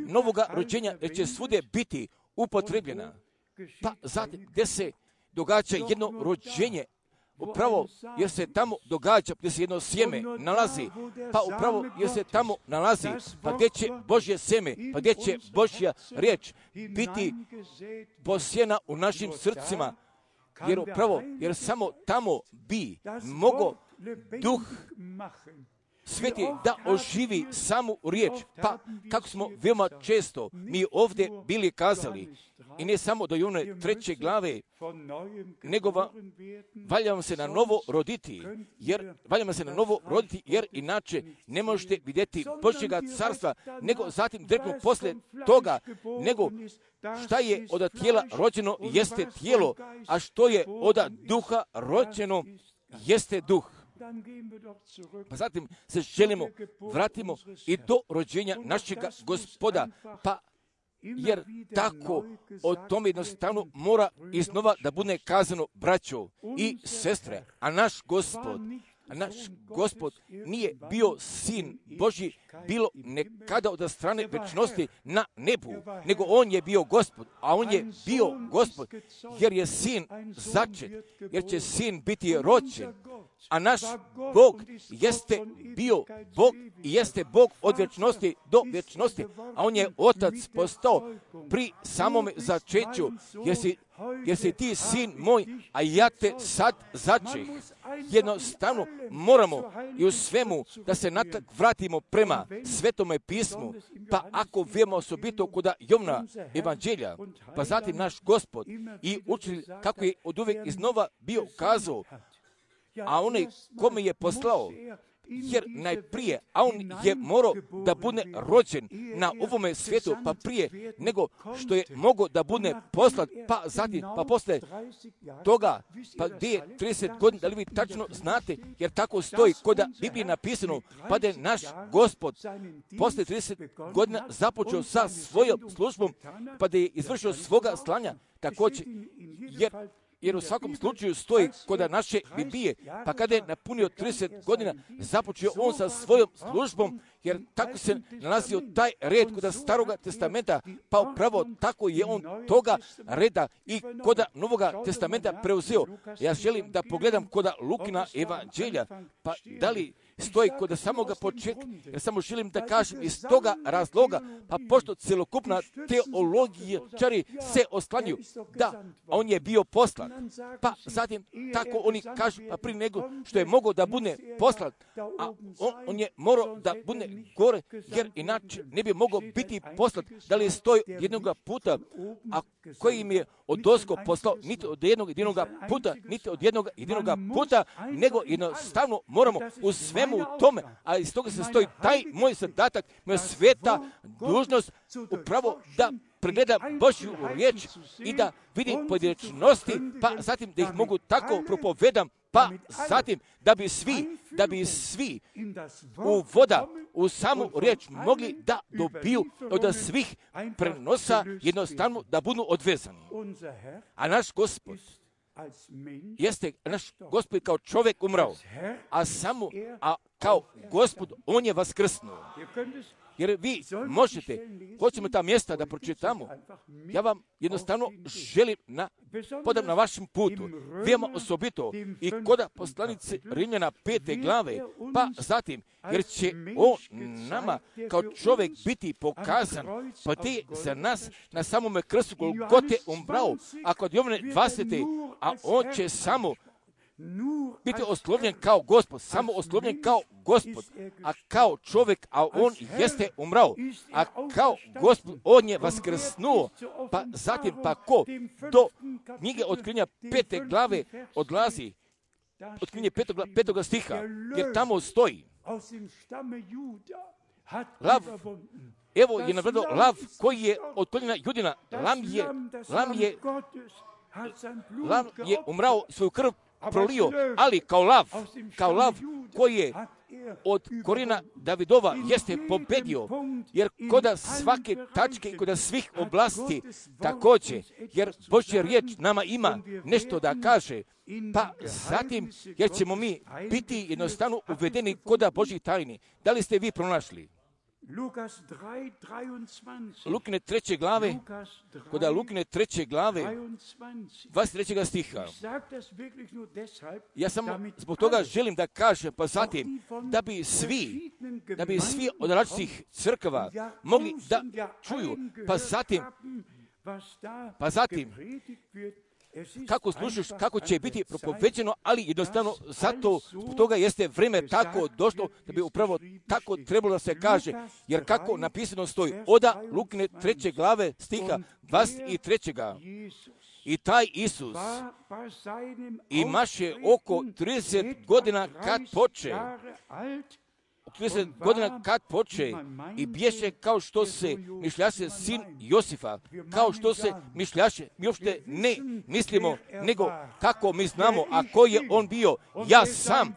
novoga rođenja će svugdje biti upotrebljena, pa zatim gdje se događa jedno rođenje upravo jer se tamo događa, gdje se jedno sjeme nalazi, pa upravo jer se tamo nalazi, pa gdje će Božje sjeme, pa gdje će Božja riječ biti posijena u našim srcima, jer upravo, jer samo tamo bi mogao Duh Sveti da oživi samu riječ. Pa kako smo veoma često mi ovdje bili kazali, i ne samo do one 3. glave, nego valjamo se na novo roditi, jer inače ne možete vidjeti Božjega carstva, nego zatim direktno poslije toga, nego šta je od tijela rođeno jeste tijelo, a što je od duha rođeno jeste duh. Pa zatim se želimo, vratimo i do rođenja našega Gospoda, pa jer tako o tome jednostavno mora iznova da bude kazano, braćo i sestre, a naš Gospod nije bio sin Božji, bilo nekada od strane večnosti na nebu, nego on je bio Gospod, a on je bio Gospod, jer je sin začet, jer će sin biti rođen, a naš Bog jeste bio Bog i jeste Bog od vječnosti do vječnosti, a on je Otac postao pri samome začeću, jer si ti sin moj, a ja te sad začeh. Jednostavno moramo i u svemu da se natak vratimo prema Svetome pismu, pa ako vijemo osobito kod Jovna evanđelja, pa zatim naš Gospod i učitelj kako je od uvijek iznova bio kazao, a onaj kome je poslao, jer najprije, a on je morao da bude rođen na ovome svijetu, pa prije nego što je mogao da bude poslat, pa zatim, pa posle toga, pa gdje je 30 godina, da li vi tačno znate, jer tako stoji kod Biblije napisano, pa da je naš Gospod posle 30 godina započeo sa svojom službom, pa da je izvršio svoga slanja, također, jer u svakom slučaju stoji kod naše Biblije, pa kada je napunio 30 godina, započeo on sa svojom službom, jer tako se nalazio taj red kod Staroga testamenta, pa upravo tako je on toga reda i kod Novoga testamenta preuzeo. Ja želim da pogledam kod Lukina evanđelja, pa da li stoji kod samoga početka, jer samo želim da kažem iz toga razloga, pa pošto celokupna teologijčari se oslanjuju da on je bio poslan, pa zatim tako oni kažu, pa prije nego što je mogao da bude poslan, a on je morao da bude gore, jer inače ne bi mogao biti poslan, da li stoji jednoga puta, a koji im je odozgo poslao, niti od jednog jedinog puta, niti od jednog jedinog puta, nego jednostavno moramo u svemu tome, a iz toga se stoji taj moj zadatak, moja sveta dužnost, upravo da pregledam Božju riječ i da vidim pojedinačnosti, pa zatim da ih mogu tako propovedam, pa zatim da bi svi u voda, u samu riječ mogli da dobiju od svih prenosa, jednostavno da budu odvezani. A naš Gospod kao čovjek umrao, a kao Gospod on je vaskrsnuo. Jer vi možete, hoćemo ta mjesta da pročitamo, ja vam jednostavno želim podam na vašem putu, veoma osobito i kod poslanice Rimljana 5. glave, pa zatim, jer će on nama kao čovjek biti pokazan, pa te za nas na samome krstu Golgote umrao, a kod Jovane 20. a on će samo biti oslovljen kao Gospod, samo oslovljen kao Gospod, a kao čovjek, a on jeste umrao, a kao Gospod on je vaskrsnuo, pa zatim pa ko do knjige Otkrivenja 5. glave odlazi, Otkrivenje 5. stiha, jer tamo stoji lav, evo je navedeno lav koji je od koljena Judina, lav je umrao, svoju krv prolio, ali kao lav koji je od korijena Davidova jeste pobedio, jer kod svake tačke i kod svih oblasti također, jer Božja riječ nama ima nešto da kaže, pa zatim, jer ćemo mi biti jednostavno uvedeni kod Božjih tajni. Da li ste vi pronašli? Lukine 3. glave, kod Lukine 3. glave, 23. stiha. Ja samo zbog toga želim da kažem, pa zatim, da bi svi od različitih crkava mogli da čuju, pa zatim, kako slušaš, kako će biti propoveđeno, ali jednostavno zato zbog toga jeste vrijeme tako došlo da bi upravo tako trebalo da se kaže, jer kako napisano stoji oda Lukine 3. glave stiha 23. I taj Isus imaše oko 30 godina kad poče. 30 godina kad poče i bješe kao što se mišljaše sin Josifa, kao što se mišljaše, mi uopšte ne mislimo, nego kako mi znamo, a koji je on bio, ja sam,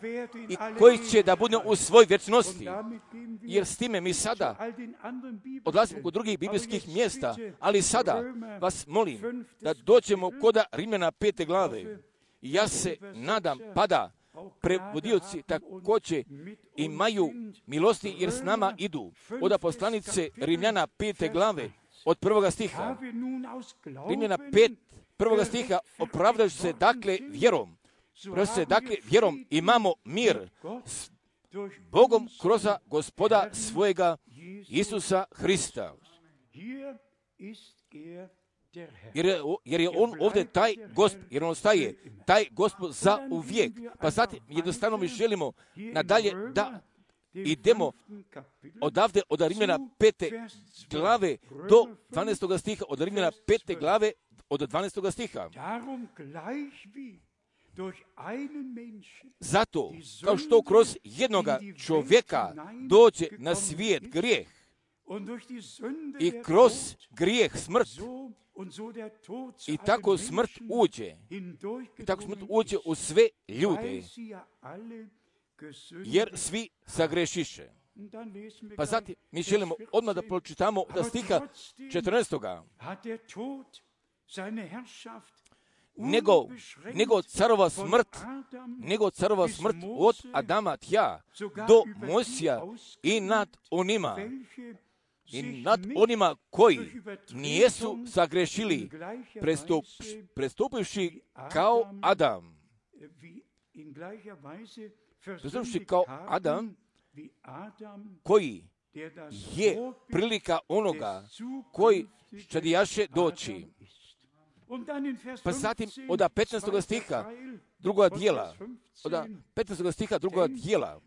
i koji će da bude u svoj vječnosti. Jer s time mi sada odlazimo kod drugih biblijskih mjesta, ali sada vas molim da dođemo kod Rimljana 5. glave. Ja se nadam, pada prevodioci također imaju milosti jer s nama idu. Od poslanice Rimljana 5. glave od 1. stiha. Rimljana 5. 1. stiha opravdajući se dakle vjerom imamo mir s Bogom kroz Gospoda svojega Isusa Hrista. Jer je on ovdje taj Gospod, jer on staje, taj Gospod za uvijek. Pa zatim jednostavno mi želimo nadalje da idemo odavde od Rimljana 5. glave do 12. stiha, od Rimljana 5. glave od 12. stiha. Zato, kao što kroz jednoga čovjeka dođe na svijet grijeh i kroz grijeh smrt, i tako smrt uđe u sve ljude, jer svi sagrešiše. Pa zatim mi želimo odmah da pročitamo od stiha 14. Nego carova smrt od Adama tja do Mojsija i nad onima koji nijesu sagrešili, prestupivši kao Adam. Prestupivši kao Adam, koji je prilika onoga koji čadijaše doći. Pa zatim od 15. stiha druga dijela, od 15. stiha druga dijela,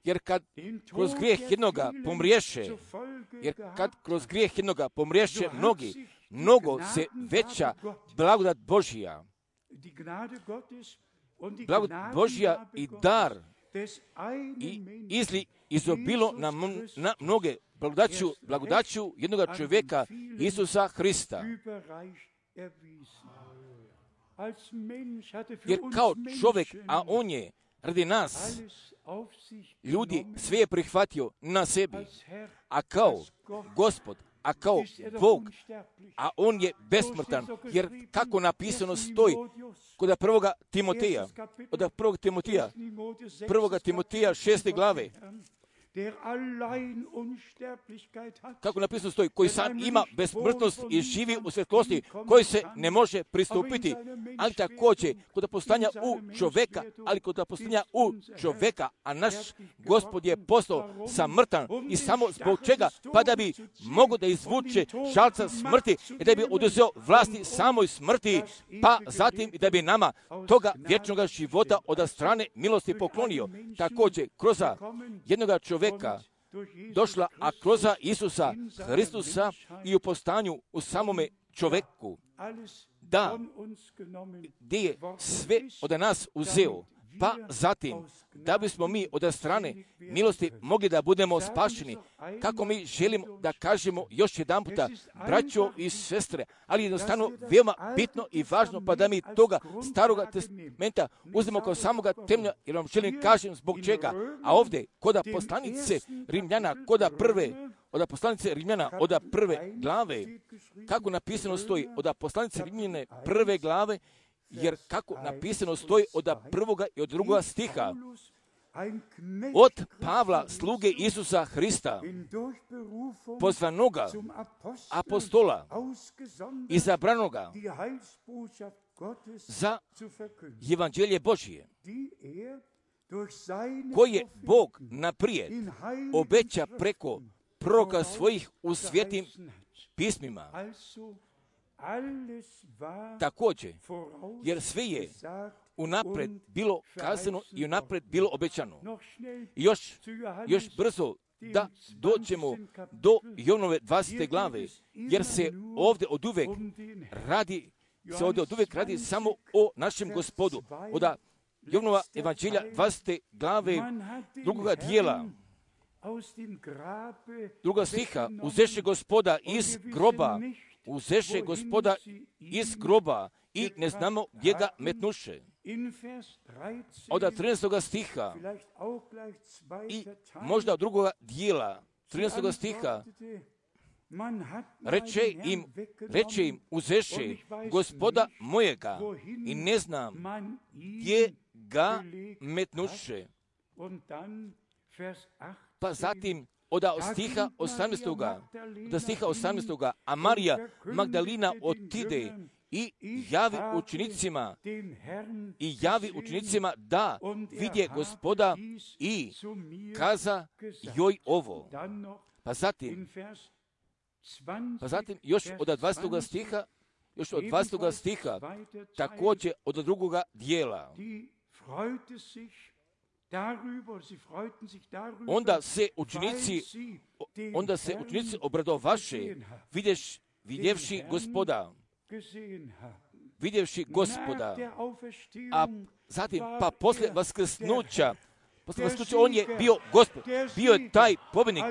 jer kad kroz grijeh jednoga pomriješe, mnogo se veća blagodat Božja. Blagodat Božja i dar i izobilo na mnoge blagodaću jednoga čovjeka Isusa Hrista. Jer kao čovjek, a on je radi nas, ljudi, sve je prihvatio na sebi, a kao Gospod, a kao Bog, a on je besmrtan, jer kako napisano stoji kod 1. Timoteja, od 1. Timoteja 6. glave, kako napisano stoji, koji sam ima besmrtnost i živi u svjetlosti, koji se ne može pristupiti, ali također kod postanja u čovjeka, a naš Gospod je postao samrtan i samo zbog čega, pa da bi mogo da izvuče žalca smrti i da bi oduzeo vlasti samoj smrti, pa zatim i da bi nama toga vječnog života od strane milosti poklonio. Također kroz jednoga čovjeka došla, a kroz Isusa Hristusa i u postanju u samome čovjeku, da gdje je sve od nas uzeo, pa zatim da bismo mi od strane milosti mogli da budemo spašeni. Kako mi želimo da kažemo još jedan puta, braćo i sestre, ali jednostavno veoma bitno i važno, pa da mi toga staroga testamenta uzmemo kao samoga temelja, jer vam želim kažem zbog čega. A ovdje, kod poslanice Rimljana, od poslanice Rimljana, od 1. glave, kako napisano stoji, od poslanice Rimljane 1. glave, jer kako napisano stoji od 1. i od 2. stiha, od Pavla, sluge Isusa Hrista, pozvanoga apostola, izabranoga za evanđelje Božije, koje Bog naprijed obeća preko proroka svojih u svetim pismima. Također, jer sve je unapred bilo kazano i unapred bilo obećano. Još brzo da dođemo do Jovnove 20. glave, jer se ovdje od uvek radi samo o našem Gospodu. Od Jovnova evanđelja 20. glave drugoga dijela, druga stiha, uzeše Gospoda iz groba i ne znamo gdje ga metnuše. Od 13. stiha i možda od drugoga dijela 13. stiha reče im uzeše Gospoda mojega i ne znam gdje ga metnuše. Pa zatim od stiha 18. A Marija Magdalina otide i javi učenicima da vidje Gospoda i kaza joj ovo. Pa zatim još od 20. stiha, također od drugoga dijela. Onda se učenici obradovaše vidjevši Gospoda, a zatim pa poslije vaskrsnuća on je bio Gospod, bio je taj pobjednik,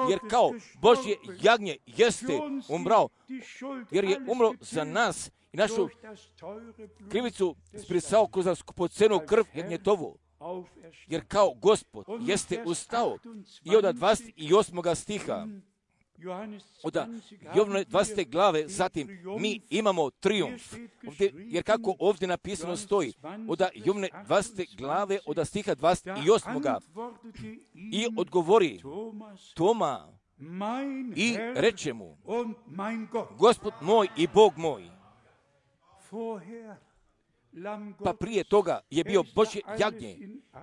jer kao Božje jagnje jeste umrao, jer je umro za nas i našu krivicu sprisao kroz skupocenu krv jagnjetovu. Jer kao Gospod jeste ustao. I od 28. stiha, od Jovnove 20. glave, zatim mi imamo trijumf. Jer kako ovdje napisano stoji, od Jovnove 20. glave, od stiha 28. I odgovori Toma i reče mu, Gospod moj i Bog moj. Pa prije toga je bio Božje jagnje,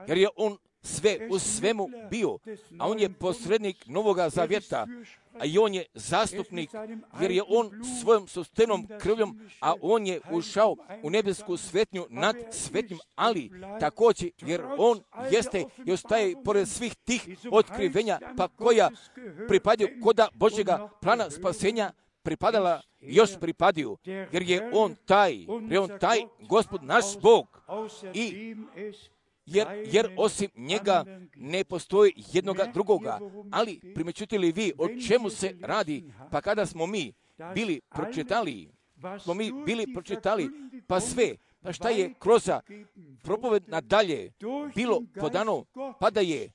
jer je on sve u svemu bio, a on je posrednik Novoga zavjeta, a i on je zastupnik, jer je on svojom sopstvenom krvljom, a on je ušao u nebesku svetnju nad svetnjim, ali također jer on jeste i ostaje pored svih tih otkrivenja, pa koja pripadaju koda Božjega plana spasenja, još pripadaju, jer je on taj Gospod naš Bog, i jer osim njega ne postoji jednoga drugoga. Ali primjećujete li vi o čemu se radi? Pa kada smo mi bili pročitali, pa sve, pa šta je kroz propoved nadalje bilo podano, pa da je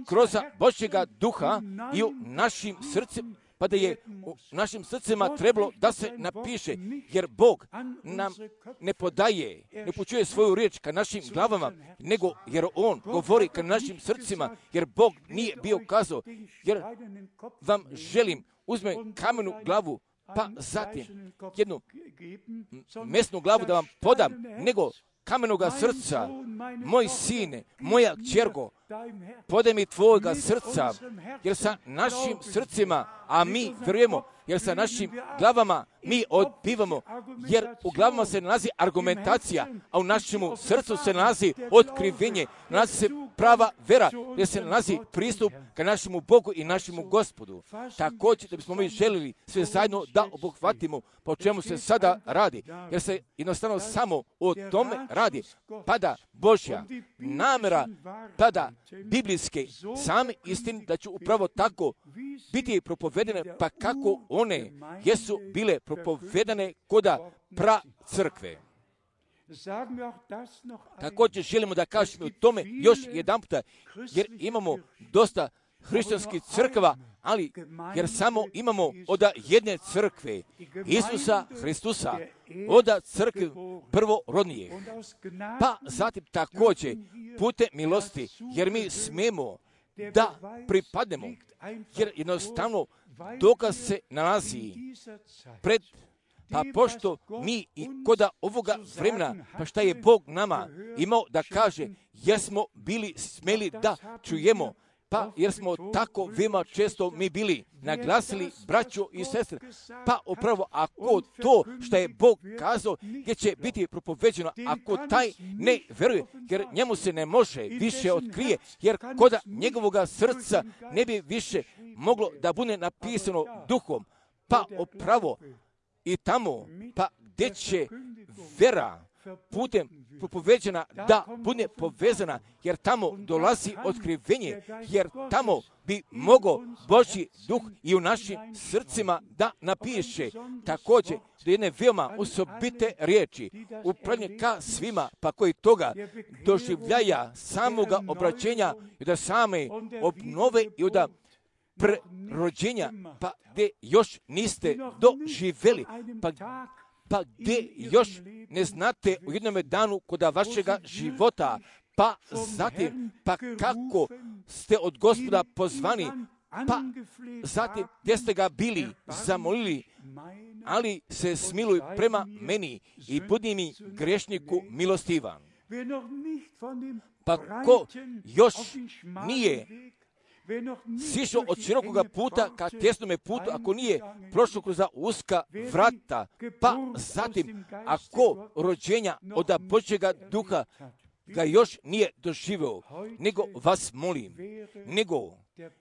kroz Božjega duha i u našim srcima, pa da je u našim srcima trebalo da se napiše, jer Bog nam ne počuje svoju riječ ka našim glavama, nego jer On govori ka našim srcima, jer Bog nije bio kazao, jer vam želim uzme kamenu glavu, pa zatim jednu mesnu glavu da vam podam, nego kamenoga srca, moj sine, moja kćerko, podaj mi tvojega srca, jer sa našim srcima, a mi vjerujemo, jer sa našim glavama mi odbivamo, jer u glavama se nalazi argumentacija, a u našemu srcu se nalazi otkrivenje, nalazi se prava vera, jer se nalazi pristup ka našemu Bogu i našemu Gospodu. Također da bismo mi želili sve zajedno da obuhvatimo po čemu se sada radi, jer se jednostavno samo o tome radi, pada Božja namjera, tada biblijske same istine da će upravo tako biti propovedene, pa kako one jesu bile propovedane koda pra crkve. Također želimo da kažemo o tome još jedan puta, jer imamo dosta hrišćanskih crkva, ali jer samo imamo od jedne crkve, Isusa Hristusa, oda crkvi prvorodnije. Pa zatim također putem milosti, jer mi smemo da pripadnemo, jer jednostavno dokaz se nalazi pred, pa pošto mi i koda ovoga vremena, pa šta je Bog nama imao da kaže, jesmo bili smeli da čujemo, pa jer smo tako veoma često mi bili naglasili, braćo i sestre, pa upravo ako to što je Bog kazao, gdje će biti propoveđeno, ako taj ne veruje, jer njemu se ne može više otkrije, jer koda njegovoga srca ne bi više moglo da bude napisano duhom, pa upravo i tamo, pa gdje će vera putem propoveđena da bude povezana, jer tamo dolazi otkrivenje, jer tamo bi mogao Božji duh i u našim srcima da napiše također do jedne veoma osobite riječi, upravljanje ka svima, pa koji toga doživljaja samoga obraćenja i da same obnove i da prerođenja, pa gdje još niste doživjeli, pa gdje još ne znate u jednome danu koda vašega života, pa zatim, pa kako ste od Gospoda pozvani, pa zatim gdje ste ga bili zamolili, ali se smiluj prema meni i budi mi grešniku milostivan. Pa ko još nije sišao od širokoga puta ka tjesnome putu, ako nije prošao kroz uska vrata, pa zatim ako rođenja od Božjega duha ga još nije doživio, nego vas molim, nego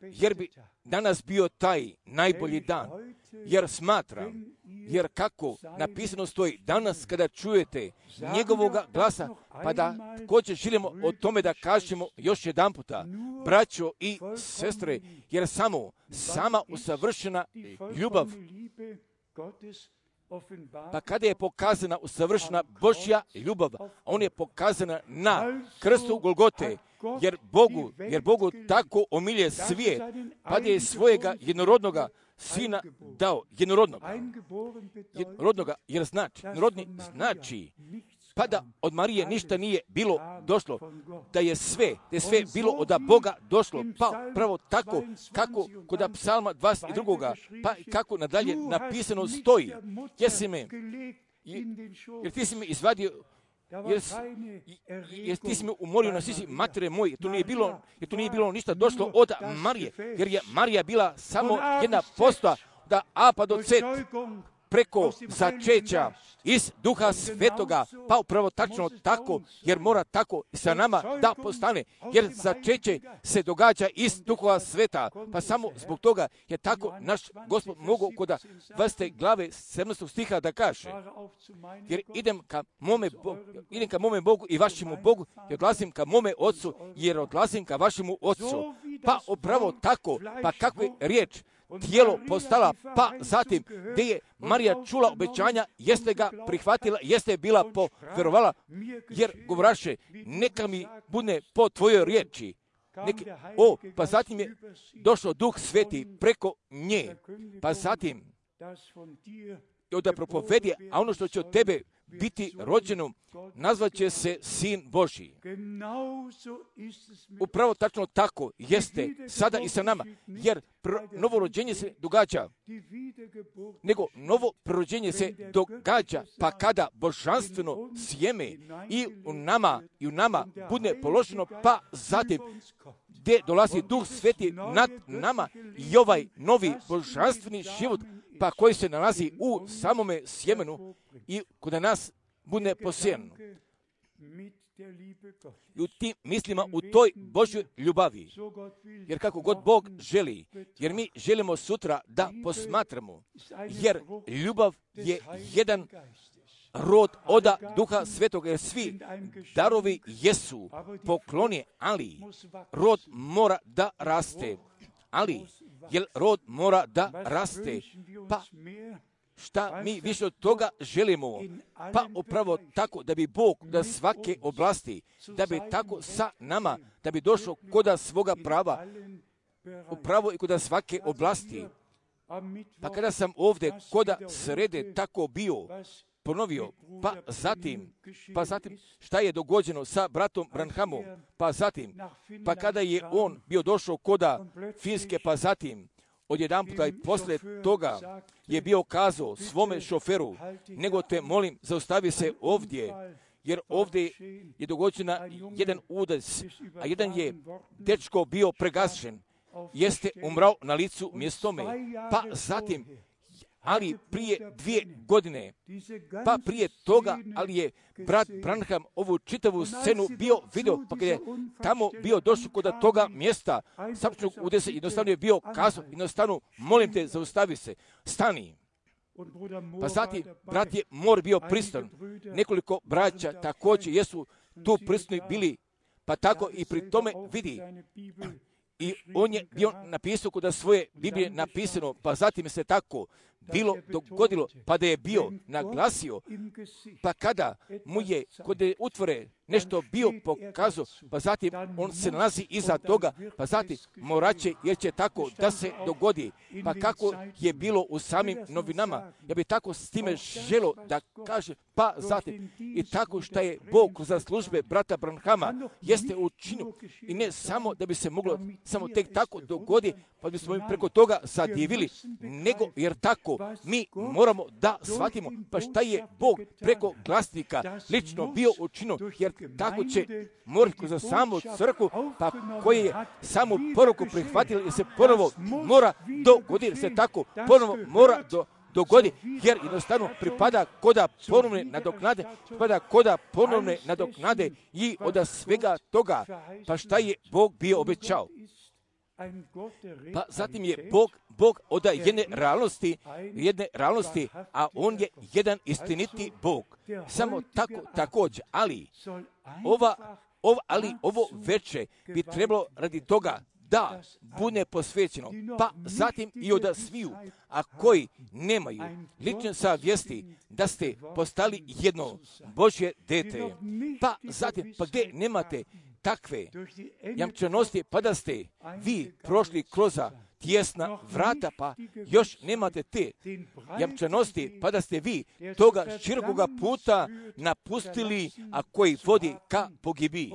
jer bi danas bio taj najbolji dan, jer smatram, jer kako napisano stoji, danas kada čujete njegovoga glasa, pa da također želimo o tome da kažemo još jedan puta, braćo i sestre, jer sama usavršena ljubav, pa kada je pokazana usavršena Božja ljubav, on je pokazana na krstu Golgote, jer Bogu tako omilje svijet, pa da je svojega jednorodnoga sina dao, jednorodnoga, jer jednorodni znači, pa da od Marije ništa nije bilo došlo, da je sve bilo od Boga došlo, pa pravo tako, kako kod psalma 22. pa kako nadalje napisano stoji, jer ti si me izvadio, jer ti si me umorio na sisi matere moje, jer tu nije bilo ništa došlo od Marije, jer je Marija bila samo jedna posta da A pa do C, preko začeća iz Duha Svetoga, pa upravo tačno tako, jer mora tako sa nama da postane, jer začeće se događa iz Duha Sveta, pa samo zbog toga je tako naš Gospod mogao kod 20. glave 17. stiha da kaže, jer idem ka mome Bogu i vašemu Bogu, i odlazim ka mome Otcu, jer odlazim ka vašemu Otcu, pa upravo tako, pa kakva je riječ, tijelo postala, pa zatim gdje je Marija čula obećanja, jeste ga prihvatila, jeste bila povjerovala, jer govoraše, neka mi bude po tvojoj riječi. Pa zatim je došao Duh Sveti preko nje, pa zatim da propovedi, a ono što će od tebe biti rođeno, nazvat će se Sin Božji. Upravo tačno tako jeste sada i sa nama, jer novo rođenje se događa, nego novo prerođenje se događa, pa kada božanstveno sjeme i u nama bude položeno, pa zatim gdje dolazi Duh Sveti nad nama i ovaj novi božanstveni život, pa koji se nalazi u samome sjemenu i kod nas bude posijen. I u tim mislima, u toj Božjoj ljubavi, jer kako god Bog želi, jer mi želimo sutra da posmatramo, jer ljubav je jedan rod oda Duha Svetoga, jer svi darovi jesu poklonje, ali rod mora da raste. Jer rod mora da raste, pa šta mi više od toga želimo? Pa upravo tako da bi Bog da svake oblasti, da bi tako sa nama, da bi došao koda svoga prava, upravo i koda svake oblasti. Pa kada sam ovdje koda srede tako bio, ponovio, pa zatim šta je dogođeno sa bratom Branhamom, pa zatim, pa kada je on bio došao koda Finske, pa zatim, odjedanputa i posle toga je bio kazao svome šoferu, nego te molim, zaustavi se ovdje, jer ovdje je dogođena jedan udarac, a jedan je dečko bio pregašen, jeste umrao na licu mjestome, pa zatim, ali prije 2 godine, pa prije toga, ali je brat Branham ovu čitavu scenu bio vidio, pa kada je tamo bio došao kod toga mjesta, sačnog udesa, jednostavno je bio kazao, jednostavno, molim te, zaustavi se, stani. Pa zatim, brat je Mor bio pristan, nekoliko braća također jesu tu prisutni bili, pa tako i pri tome vidi. I on je bio napisao kod svoje Biblije napisano, pa zatim se tako bilo dogodilo, pa da je bio naglasio, pa kada mu je kod utvore nešto bio pokazao, pa zatim on se nalazi iza toga, pa zatim moraće, jer će tako da se dogodi. Pa kako je bilo u samim novinama, ja bi tako s time želo da kaže, pa zatim i tako što je Bog za službe brata Branhama jeste učinio i ne samo da bi se moglo samo tek tako dogodi, pa bismo im preko toga zadivili, nego jer tako mi moramo da shvatimo, pa šta je Bog preko glasnika lično bio učinio, jer tako će morati za samu crkvu, pa koji je samu poruku prihvatili, jer se ponovo mora dogoditi, jer se tako ponovo mora dogodi, jer jednostavno pripada koda ponovne nadoknade i od svega toga, pa šta je Bog bio obećao. Pa zatim je Bog od jedne realnosti, a on je jedan istiniti Bog. Samo tako također, ali ovo veče bi trebalo radi toga da bude posvećeno, pa zatim i od sviju, a koji nemaju lične savjesti da ste postali jedno Božje dete, pa zatim, pa gdje nemate takve jamčenosti, pa da ste vi prošli kroz tijesna vrata, pa još nemate te jamčenosti, pa da ste vi toga širokoga puta napustili, a koji vodi ka pogibiji.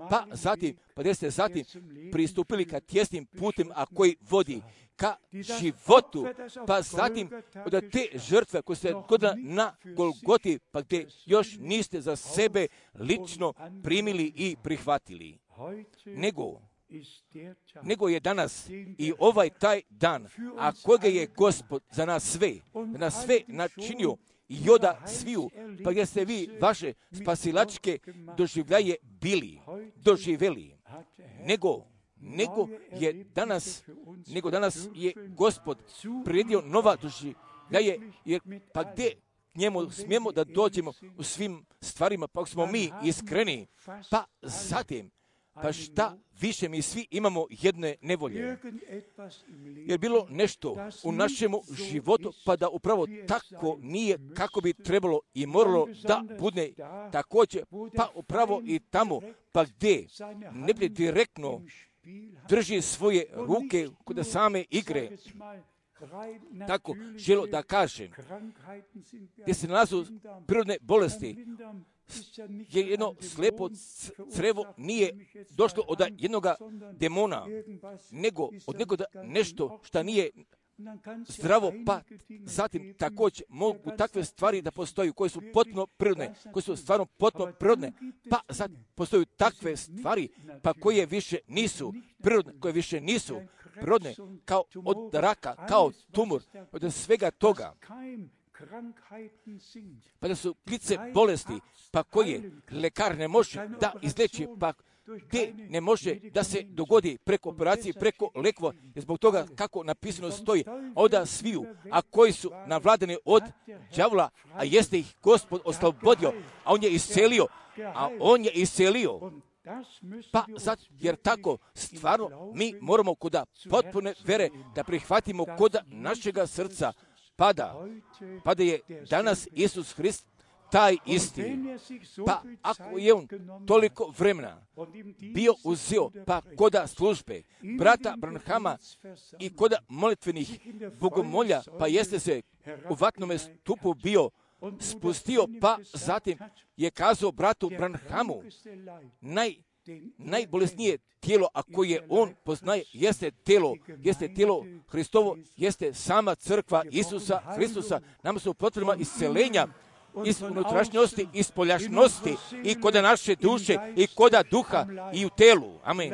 Pa zatim, pa da ste zatim pristupili ka tijesnim putem, a koji vodi ka životu, pa zatim od te žrtve koje ste godila na Golgoti, pa gdje još niste za sebe lično primili i prihvatili. Nego je danas i ovaj taj dan, a kojega je Gospod za nas sve načinio i oda sviju, pa gdje ste vi vaše spasilačke doživljaje doživjeli. Nego danas je Gospod priredio nova doživljaje, jer pa gdje njemu smijemo da dođemo u svim stvarima, pa smo mi iskreni, pa zatim, pa šta više mi svi imamo jedne nevolje. Jer bilo nešto u našemu životu, pa da upravo tako nije kako bi trebalo i moralo da bude također, pa upravo i tamo, pa gdje ne bi direktno drži svoje ruke kod same igre. Tako želo da kažem, gdje se nalazu prirodne bolesti, jer jedno slepo crevo nije došlo od jednog demona, nego od nekoga nešto što nije zdravo, pa zatim također mogu takve stvari da postoju koje su potpuno prirodne, koje su stvarno potpuno prirodne, pa zatim postoju takve stvari, pa koje više nisu prirodne, kao od raka, kao tumor, od svega toga. Pa da su klice bolesti, pa koje lekar ne može da izleči, pa gdje ne može da se dogodi preko operacije, preko lekova, zbog toga kako napisano stoji, oda sviju, a koji su navladani od đavola, a jeste ih Gospod oslobodio, a on je iscelio. Pa sad, jer tako stvarno mi moramo kod potpune vere da prihvatimo kod našega srca, pa da je danas Isus Hrist taj isti. Pa ako je on toliko vremena bio uzeo, pa koda službe brata Branhama i koda molitvenih bogomolja, pa jeste se u vatnome stupu bio spustio, pa zatim je kazao bratu Branhamu, najbolesnije tijelo, a koje on poznaje, jeste tijelo Hristovo, jeste sama crkva Isusa Hristusa. Nama su potrebna isceljenja iz unutrašnjosti, iz spoljašnosti i koda naše duše i koda duha i u telu. Amen.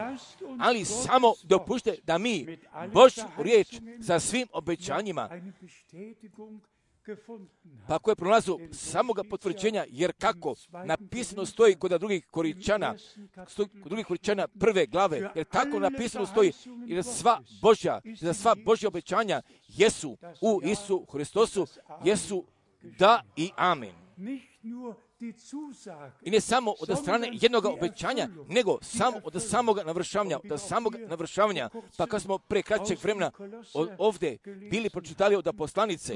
Ali samo dopušte da mi Božju riječ sa svim obećanjima, pa koje pronalazu samoga potvrđenja, jer kako napisano stoji kod drugih Koričana, prve glave, jer tako napisano stoji, jer za sva Božja obećanja jesu u Isu Hristosu, jesu da i amen. I ne samo od strane jednog obećanja, nego samo od samoga navršavanja. Pa kad smo pre kraćeg vremena ovdje bili pročitali od poslanice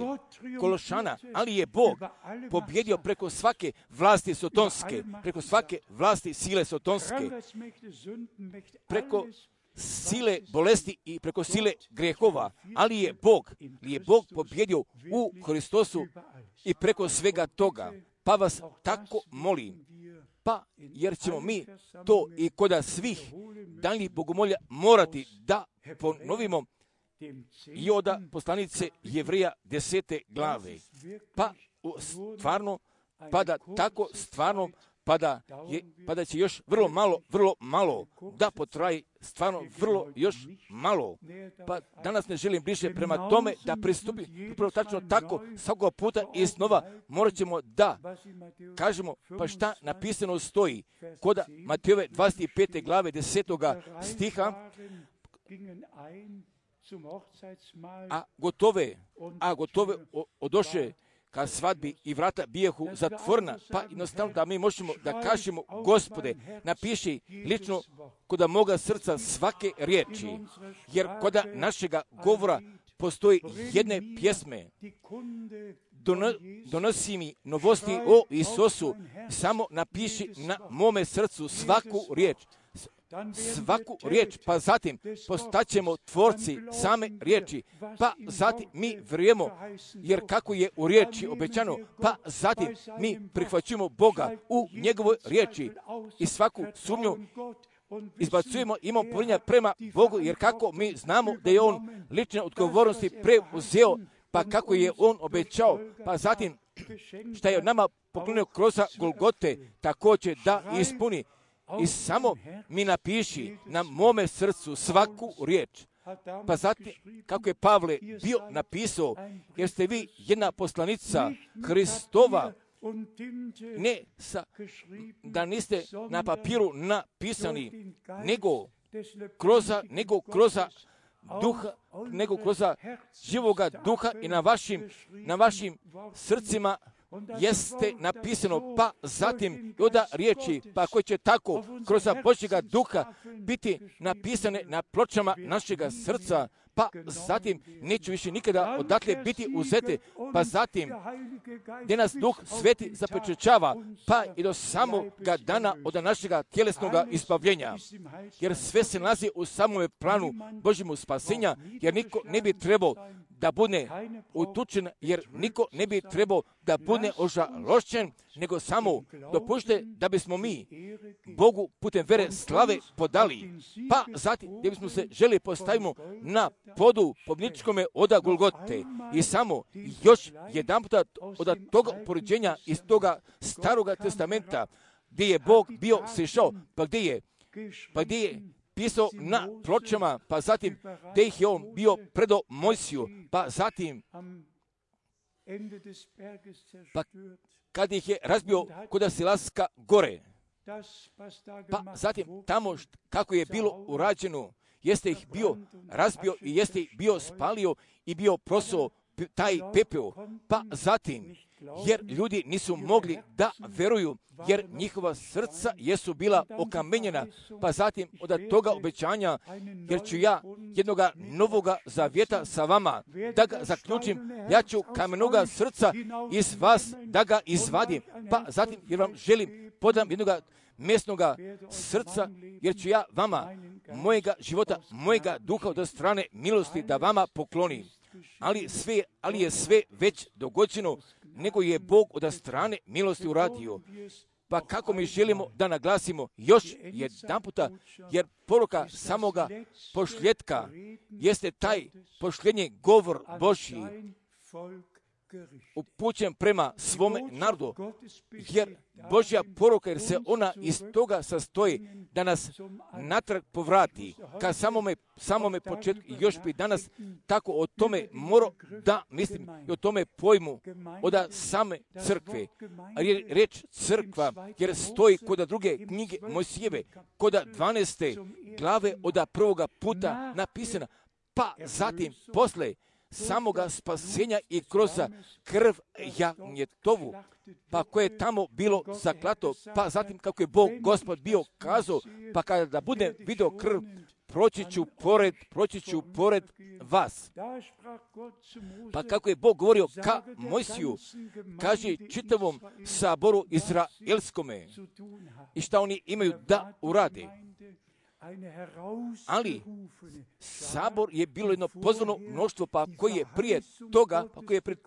Kološana, ali je Bog pobjedio preko svake vlasti sotonske, preko svake vlasti sile sotonske, preko sile bolesti i preko sile grehova, ali je Bog pobjedio u Hristosu i preko svega toga. Pa vas tako molim, jer ćemo mi to i koda svih daljnjih bogomolja morati da ponovimo i od poslanice Jevrija 10. glave. Pa da će još vrlo malo da potraji, stvarno vrlo još malo. Pa danas ne želim bliže prema tome da pristupim, upravo tačno tako, svakog puta i snova morat ćemo da kažemo, pa šta napisano stoji kod Matejove 25. glave 10. stiha, a gotove odoše ka svadbi i vrata bijehu zatvorena, pa jednostavno da mi možemo da kažemo, Gospode, napiši lično kod moga srca svake riječi, jer kod našega govora postoji jedne pjesme, donosi mi novosti o Isusu, samo napiši na mome srcu svaku riječ, pa zatim postaćemo tvorci same riječi, pa zatim mi vjerujemo, jer kako je u riječi obećano, pa zatim mi prihvaćujemo Boga u njegovoj riječi i svaku sumnju izbacujemo, imamo povjerenja prema Bogu, jer kako mi znamo da je On lične odgovornosti preuzeo, pa kako je On obećao, pa zatim šta je nama poklonio kroz Golgote, također da ispuni. I samo mi napiši na mome srcu svaku riječ. Pa zatim, kako je Pavle bio napisao, jer ste vi jedna poslanica Hristova, da niste na papiru napisani, nego kroz duha, nego kroz živoga duha i na vašim srcima jeste napisano, pa zatim od riječi, pa koje će tako kroz Božjega duha biti napisane na pločama našega srca, pa zatim neću više nikada odatle biti uzete, pa zatim gdje nas Duh Sveti zapečaćava, pa i do samoga dana od našega tjelesnog izbavljenja, jer sve se nalazi u samom planu Božjemu spasenja, jer niko ne bi trebao da bude utučen, jer niko ne bi trebao da bude ožalošćen, nego samo dopušte da bismo mi Bogu putem vere slave podali, pa zatim gdje bismo se želi postavimo na podu pobjedničkome oda Golgote i samo još jedan puta od toga upoređenja iz toga staroga testamenta gdje je Bog bio sišao, pa gdje je pisao na pločama, pa zatim gdje ih je on bio predo Mojsiju, pa zatim kad ih je razbio kod Silaska gore, pa zatim tamo kako je bilo urađeno, jeste ih bio razbio i jeste ih bio spalio i bio prosao taj pepeo, pa zatim, jer ljudi nisu mogli da veruju, jer njihova srca jesu bila okamenjena, pa zatim od toga obećanja, jer ću ja jednoga novoga zavjeta sa vama, da ga zaključim, ja ću kamenoga srca iz vas da ga izvadim, pa zatim, jer vam želim podam jednoga mesnoga srca, jer ću ja vama mojega života, mojega duha od strane milosti da vama poklonim. Ali je sve već dogođeno nego je Bog od strane milosti uradio. Pa kako mi želimo da naglasimo još jedanputa, jer poruka samoga pošljetka jeste taj pošljenje govor Božji upućen prema svome narodu, jer Božja poruka, jer se ona iz toga sastoji da nas natrag povrati ka samome početku. I još bi danas tako o tome morao da mislim i o tome pojmu od same crkve. Reč crkva, jer stoji kod druge knjige Mojsijeve, kod 12. glave od prvoga puta napisana, pa zatim posle samoga spasenja i kroz krv jagnjetovu, pa koje je tamo bilo zaklato, pa zatim kako je Bog Gospod bio kazao, pa kada budem vidio krv, proći ću pored vas. Pa kako je Bog govorio ka Mojsiju, kaže čitavom saboru izraelskome i šta oni imaju da urade. Ali sabor je bilo jedno pozvano mnoštvo, pa koji je prije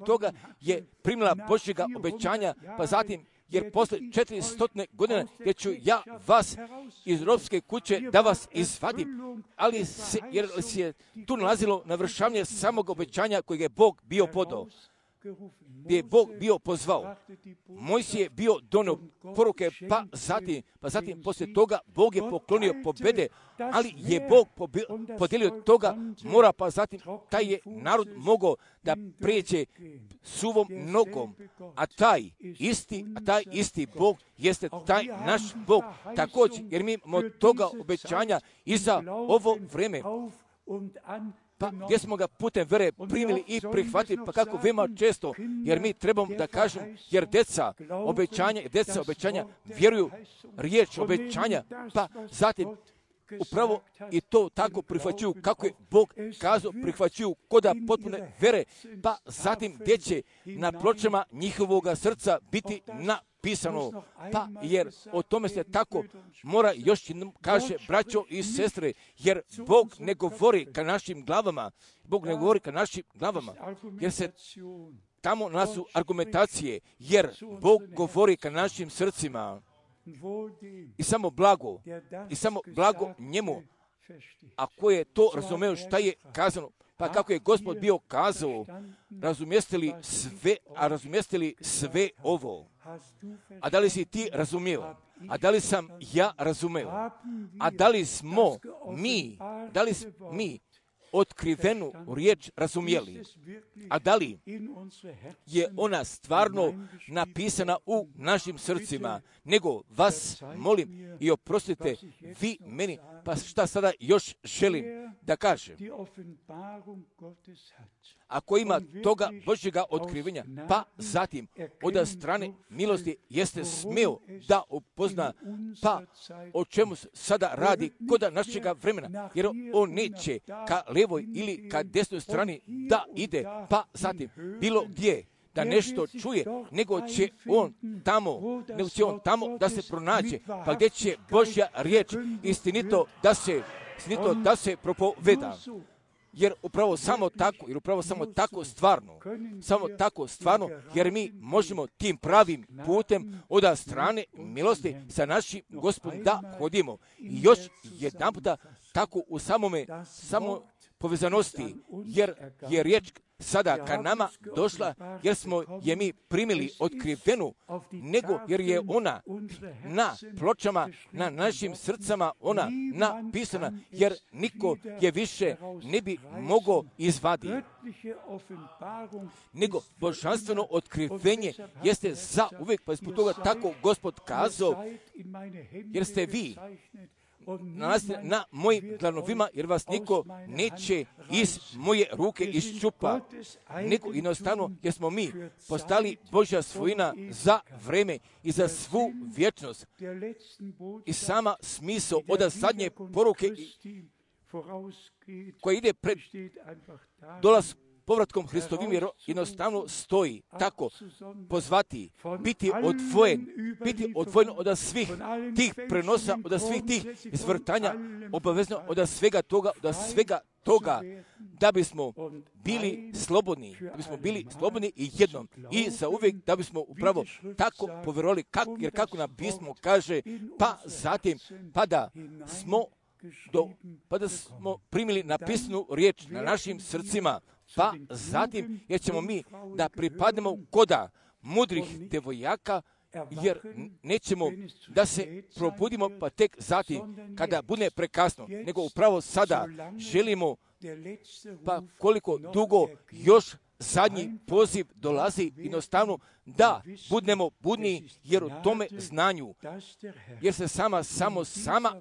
toga je primila Božjega obećanja, pa zatim jer posle 400 godina jer ću ja vas iz robske kuće da vas izvadim, jer se je tu nalazilo navršavanje samog obećanja kojeg je Bog bio podao, gdje je Bog bio pozvao. Mojsije je bio donio poruke, pa zatim poslije toga Bog je poklonio pobjede, ali je Bog podijelio toga mora, pa zatim taj je narod mogao da prijeđe suvom nogom, a taj isti Bog jeste taj naš Bog također, jer mi imamo toga obećanja i za ovo vreme. Pa gdje smo ga putem vere primili i prihvatili, pa kako veoma često, jer mi trebamo da kažem, jer deca obećanja vjeruju riječ obećanja, pa zatim upravo i to tako prihvaćuju kako je Bog kazao, prihvaćuju koda potpune vere, pa zatim gdje će na pločama njihovoga srca biti napisano, pa jer o tome se tako mora još jednom kaže, braćo i sestre, jer Bog ne govori ka našim glavama, jer se tamo nasu argumentacije, jer Bog govori ka našim srcima. I samo blago njemu, a ko je to razumeo šta je kazano, pa kako je Gospod bio kazao, razumjestili sve ovo. A da li si ti razumio? A da li sam ja razumeo? A da li smo mi otkrivenu riječ razumjeli? A da li je ona stvarno napisana u našim srcima? Nego vas molim i oprostite vi meni, pa šta sada još želim da kažem? Ako ima toga Božjega otkrivenja, pa zatim od strane milosti jeste smio da upozna, pa o čemu sada radi kod našega vremena, jer on neće ka levoj ili ka desnoj strani da ide, pa zatim bilo gdje da nešto čuje, nego će on tamo da se pronađe, pa gdje će Božja riječ istinito da se propoveda. Jer upravo samo tako stvarno, jer mi možemo tim pravim putem od strane milosti sa našim Gospodom da hodimo. I još jedan puta tako u samoj povezanosti, jer je riječ sada ka nama došla, jer smo je mi primili otkrivenu, nego jer je ona na pločama, na našim srcama ona napisana, jer niko je više ne bi mogao izvaditi. Nego božanstveno otkrivenje jeste za uvijek, pa zbog toga tako Gospod kazao, jer ste vi nalazite na mojim dlanovima, jer vas niko neće iz moje ruke iščupa, nego jednostavno jer smo mi postali Božja svojina za vreme i za svu vječnost. I sama smisao od zadnje poruke koja ide pred povratkom Hristovim jednostavno stoji tako pozvati, biti odvojen od svih tih prenosa, od svih tih izvrtanja, obavezno od svega toga, da bismo bili slobodni i jednom i za uvijek, da bismo upravo tako povjerovali, jer kako nam pismo kaže, pa zatim, pa da smo primili napisanu riječ na našim srcima, pa zatim, jer ćemo mi da pripadnemo koda mudrih devojaka, jer nećemo da se probudimo pa tek zatim kada bude prekasno, nego upravo sada želimo, pa koliko dugo još zadnji poziv dolazi, jednostavno da budemo budni, jer u tome znanju, jer se sama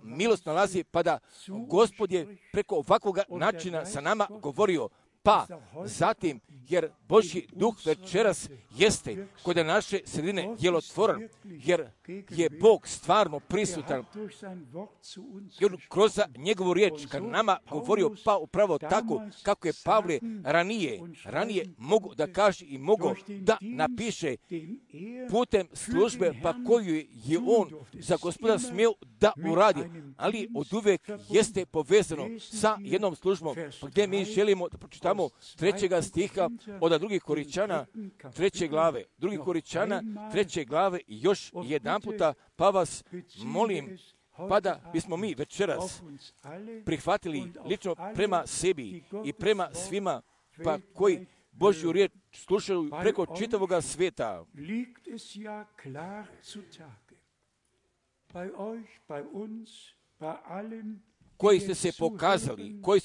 milost nalazi, pa da Gospod je preko ovakvog načina sa nama govorio, pa zatim, jer Božji duh večeras jeste kod naše sredine djelotvoran, jer je Bog stvarno prisutan, jer kroz njegovu riječ kad nama govorio, pa upravo tako kako je Pavle ranije mogu da kaže i mogu da napiše putem službe, pa koju je on za Gospoda smio da uradi, ali od uvijek jeste povezano sa jednom službom, pa gdje mi želimo da pročitamo 3. stiha od 2. Koričana 3. glave. 2. Koričana 3. glave i još jedan puta, pa vas molim, pa da bismo mi večeras prihvatili lično prema sebi i prema svima, pa koji Božju riječ slušaju preko čitavoga svijeta. Koji ste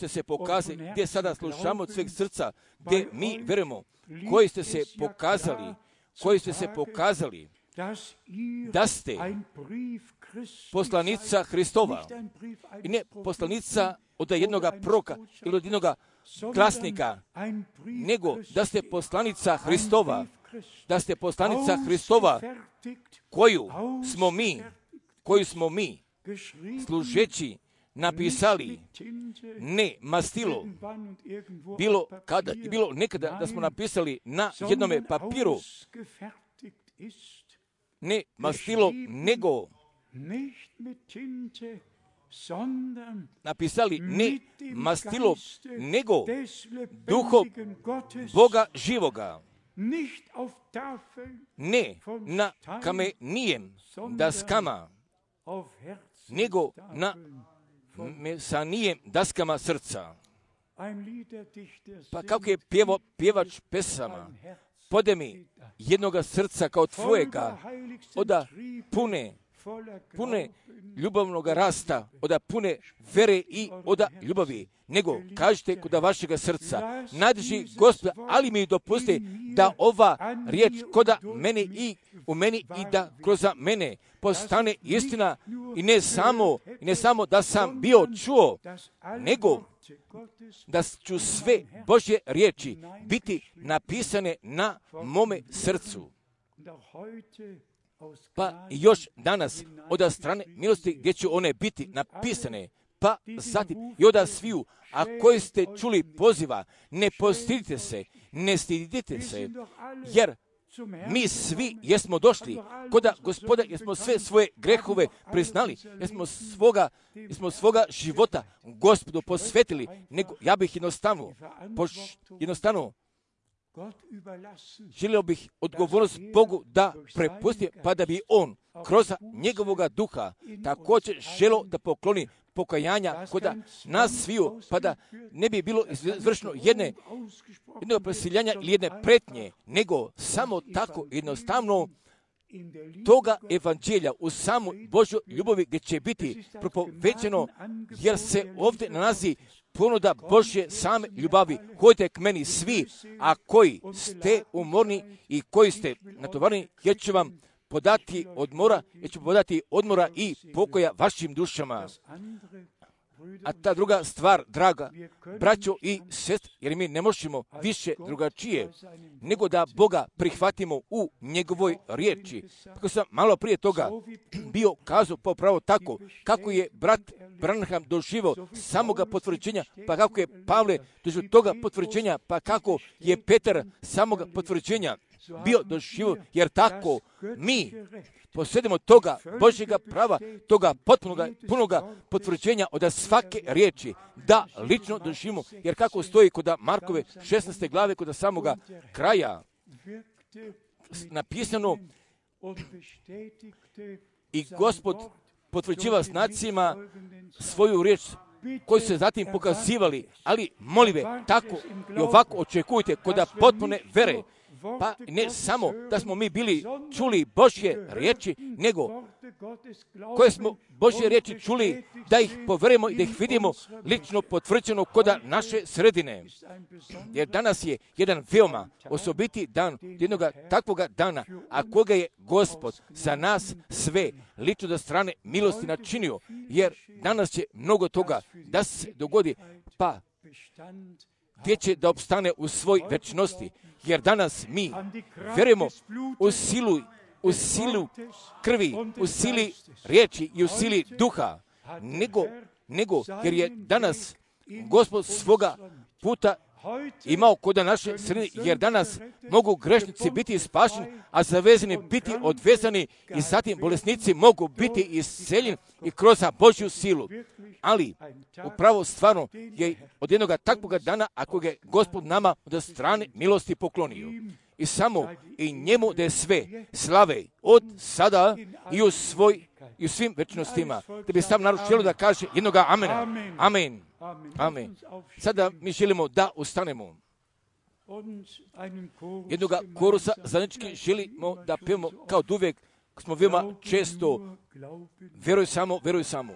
se pokazali, gdje sada slušamo od sveg srca, gdje mi verujemo, koji ste se pokazali, da ste poslanica Hristova, i ne poslanica od jednoga proroka ili od jednoga glasnika, nego da ste poslanica Hristova, koju smo mi služeći napisali, ne mastilo, bilo nekada da smo napisali na jednome papiru, ne mastilo, nego napisali ne mastilo, nego duhom Boga živoga, ne na kamenijem daskama, nego na mesanijem daskama srca. Pa kako je pjevač pesama, pode mi jednoga srca kao tvojega, oda pune ljubavnog rasta, oda pune vere i oda ljubavi, nego kažete kod vašega srca, nadrži Gospod, ali mi dopusti da ova riječ koda mene i u meni i da kroz mene postane istina i ne samo da sam bio čuo, nego da ću sve Božje riječi biti napisane na mome srcu. Pa još danas od strane milosti gdje će one biti napisane, pa zatim i od sviju, a koji ste čuli poziva, ne postidite se, ne stidite se, jer mi svi jesmo došli kod Gospoda, jer smo sve svoje grehove priznali, jer smo svoga života Gospodu posvetili, nego ja bih jednostavno želio bih odgovornost Bogu da prepusti, pa da bi on kroz njegovoga duha također želio da pokloni pokajanja kod nas sviju, pa da ne bi bilo izvršeno jednog presiljanja ili jedne pretnje, nego samo tako jednostavno toga evanđelja u samoj Božoj ljubavi gdje će biti propovećeno, jer se ovdje nalazi ponuda Božje same ljubavi. Hodite k meni svi, a koji ste umorni i koji ste natovarni, jer ću vam podati odmora i pokoja vašim dušama. A ta druga stvar, draga braćo i sestre, jer mi ne možemo više drugačije nego da Boga prihvatimo u njegovoj riječi. Kako sam malo prije toga bio kazao popravo tako, kako je brat Branham doživao samoga potvrđenja, pa kako je Pavle doživao toga potvrđenja, pa kako je Petar samoga potvrđenja bio doživao, jer tako mi posjedimo toga Božjega prava, toga punoga potvrđenja od svake riječi, da lično doživimo, jer kako stoji kod Markove 16. glave, kod samoga kraja, napisano i Gospod potvrđiva znacima svoju riječ, koji su se zatim pokazivali, ali molive, tako i ovako očekujte kod potpune vere. Pa ne samo da smo mi bili čuli Božje riječi, nego koje smo Božje riječi čuli, da ih poverujemo i da ih vidimo lično potvrđeno kod naše sredine. Jer danas je jedan veoma osobiti dan, jednog takvoga dana, a koga je Gospod za nas sve lično do strane milosti načinio, jer danas će mnogo toga da se dogodi, pa gdje će da opstane u svoj večnosti. Jer danas mi vjerujemo u silu krvi, u sili riječi i u sili duha, nego jer je danas Gospod svoga puta imao kod naše sredine, jer danas mogu grešnici biti spašeni, a zavezani biti odvezani i zatim bolesnici mogu biti isceljeni i kroz Božju silu. Ali upravo stvarno je od jednog takvog dana, ako ga je Gospod nama od strane milosti poklonio. I samo i njemu da je sve slave od sada i u svim večnostima. Da bi sam narod želio da kaže jednoga amena. Amen. Amen. Sada mi želimo da ustanemo. Jednoga korusa zajednički želimo da pevamo kao uvijek smo veoma često veruj samo, veruj samo.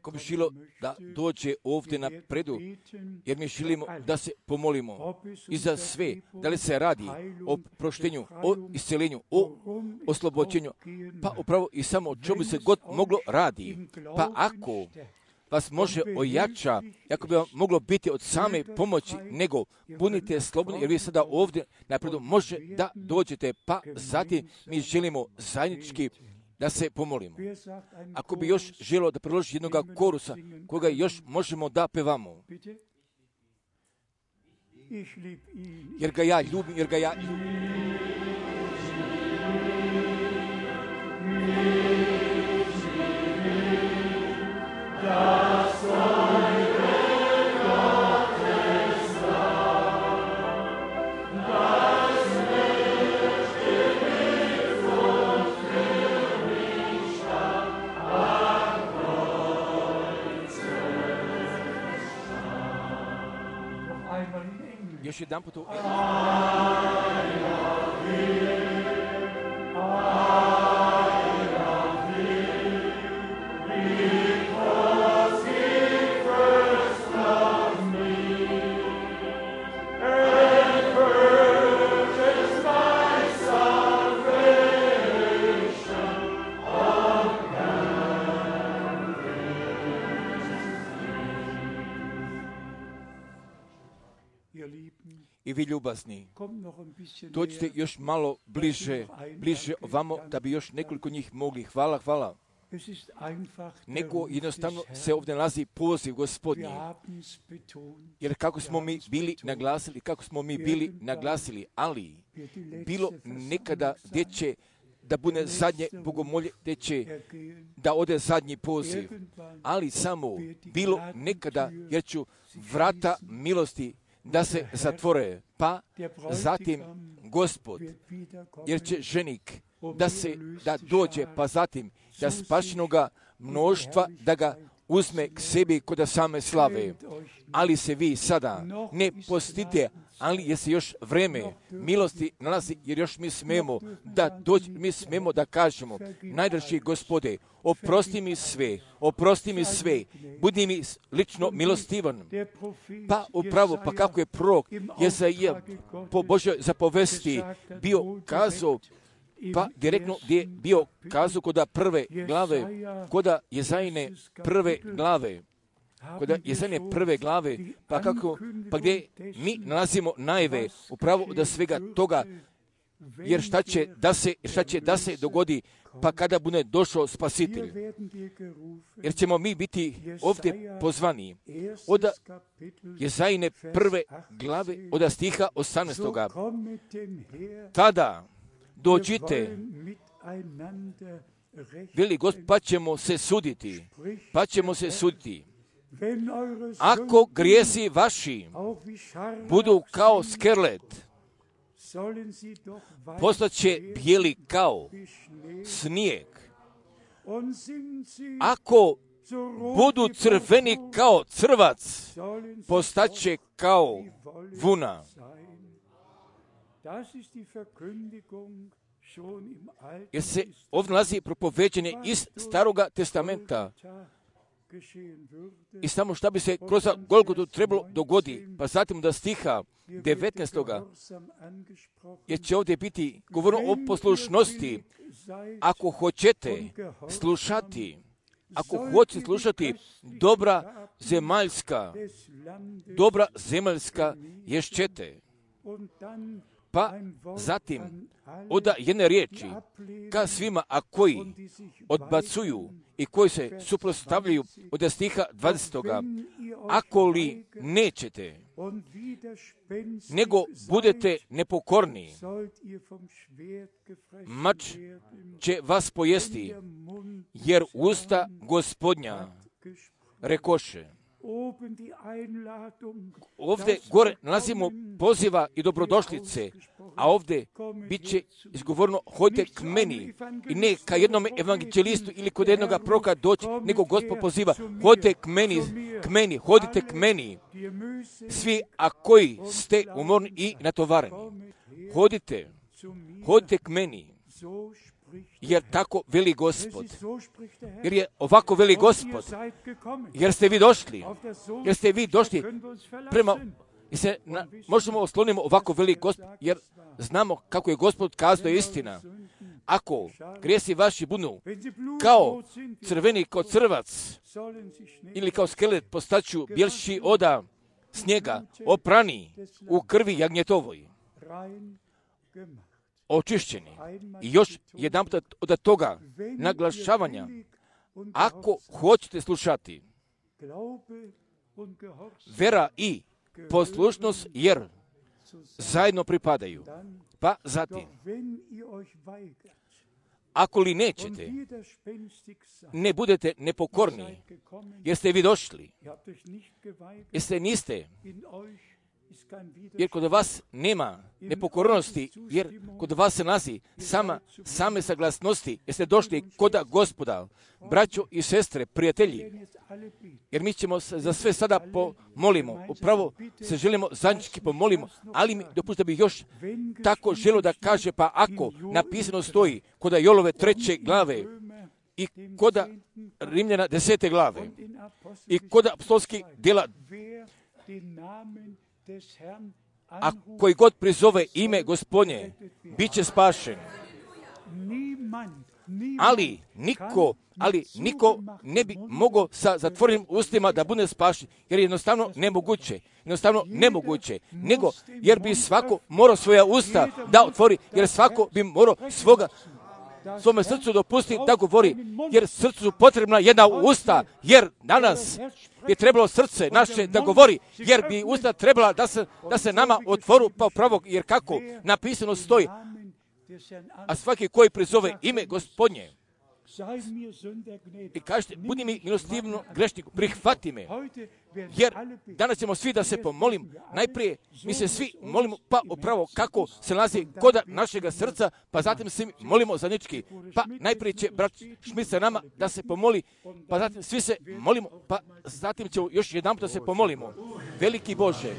Ko bi želio da dođe ovdje na predu, jer mi želimo da se pomolimo i za sve, da li se radi o proštenju, o isceljenju, o oslobođenju, pa upravo i samo o čemu se god moglo radi. Pa ako vas može ojača, ako bi vam moglo biti od same pomoći, nego budite slobodni, jer vi sada ovdje napredu može da dođete, pa zatim mi želimo zajednički da se pomolimo. Ako bi još želio da priloži jednog korusa, koga još možemo da pevamo. Jer ga ja ljubim, jer ga ja ljubim. Još jedan put u i vi ljubazni, dođite još malo bliže ovamo, da bi još nekoliko njih mogli. Hvala. Nego jednostavno se ovdje nalazi poziv Gospodnji. Jer kako smo mi bili naglasili, ali bilo nekada gdje će da bude zadnje bogomolje, gdje će da ode zadnji poziv, ali samo bilo nekada, jer ću vrata milosti da se zatvore, pa zatim Gospod, jer će ženik da dođe, pa zatim da spašenoga mnoštva da ga uzme k sebi kod same slave. Ali se vi sada ne postite, ali je se još vreme milosti nalazi, jer još mi smemo da kažemo, najdraži Gospode, oprosti mi sve, budi mi lično milostivan. Pa upravo, pa kako je prorok Jezaja po Božoj zapovesti bio kazao, pa direktno gdje je bio kazao kod prve glave, kod Jezajine prve glave, pa gdje mi nalazimo najave upravo od svega toga, jer šta će da se dogodi, pa kada bude došao Spasitelj. Jer ćemo mi biti ovdje pozvani od Jezajine prve glave, od stiha 18. Tada dođite, veli Gospod, pa ćemo se suditi. Ako grijesi vaši budu kao skerlet, postaće bijeli kao snijeg. Ako budu crveni kao crvac, postaće kao vuna. Jer se ovdje nalazi propoveđenje iz Staroga testamenta. I samo šta bi se kroz Golgotu trebalo dogodi, pa zatim da stiha 19. Jer će ovdje biti govorno o poslušnosti. Ako hoćete slušati dobra zemaljska ješćete. Pa zatim oda jedne riječi ka svima, a koji odbacuju i koji se suprotstavljaju od stiha 20. Ako li nećete, nego budete nepokorni, mač će vas pojesti, jer usta Gospodnja rekoše. Ovdje gore nalazimo poziva i dobrodošlice, a ovdje bit će izgovorno hojte k meni i ne ka jednom evanđelistu ili kod jednoga proroka doći, nego Gospod poziva hojte hodite k meni, svi a koji ste umorni i natovareni. Hodite k meni, jer tako veli Gospod. Jer je ovako veli Gospod. Jer ste vi došli prema, možemo oslonimo ovako veli Gospod, jer znamo kako je Gospod kazao da je istina. Ako grijesi vaši budu kao crveni kao crvac ili kao skelet, postaću bjelši oda snijega, oprani u krvi jagnjetovoj, očišćeni. I još jedanput od toga naglašavanja, ako hoćete slušati, vera i poslušnost, jer zajedno pripadaju. Pa zatim, ako li nećete, ne budete nepokorni, jer ste vi došli, jer niste, jer kod vas nema nepokornosti, jer kod vas se nalazi same saglasnosti, jer ste došli kod Gospoda, braćo i sestre, prijatelji, jer mi ćemo za sve sada pomolimo, upravo se želimo zajednički pomolimo, ali mi dopustite bih još tako želio da kaže, pa ako napisano stoji kod Jolove 3. glave i kod Rimljana 10. glave i kod apostolskih djela, a koji god prizove ime Gospodnje, bit će spašen. ali niko ne bi mogao sa zatvorenim ustima da bude spašen, jer je jednostavno nemoguće, nego jer bi svako morao svoja usta da otvori, jer svako bi morao svome srcu dopustiti da govori, jer srcu su potrebna jedna usta, jer danas bi trebalo srce naše da govori, jer bi usta trebala da se nama otvoru pa pravo, jer kako napisano stoji, a svaki koji prizove ime Gospodnje i kažete, budi mi milostivno grešniku, prihvati me, jer danas ćemo svi da se pomolim. Najprije mi se svi molimo pa upravo kako se nalazi koda našega srca, pa zatim se molimo zajednički. Pa najprije će brat Šmit sa nama da se pomoli, pa zatim svi se molimo, pa zatim ćemo još jedan da se pomolimo. Veliki Bože,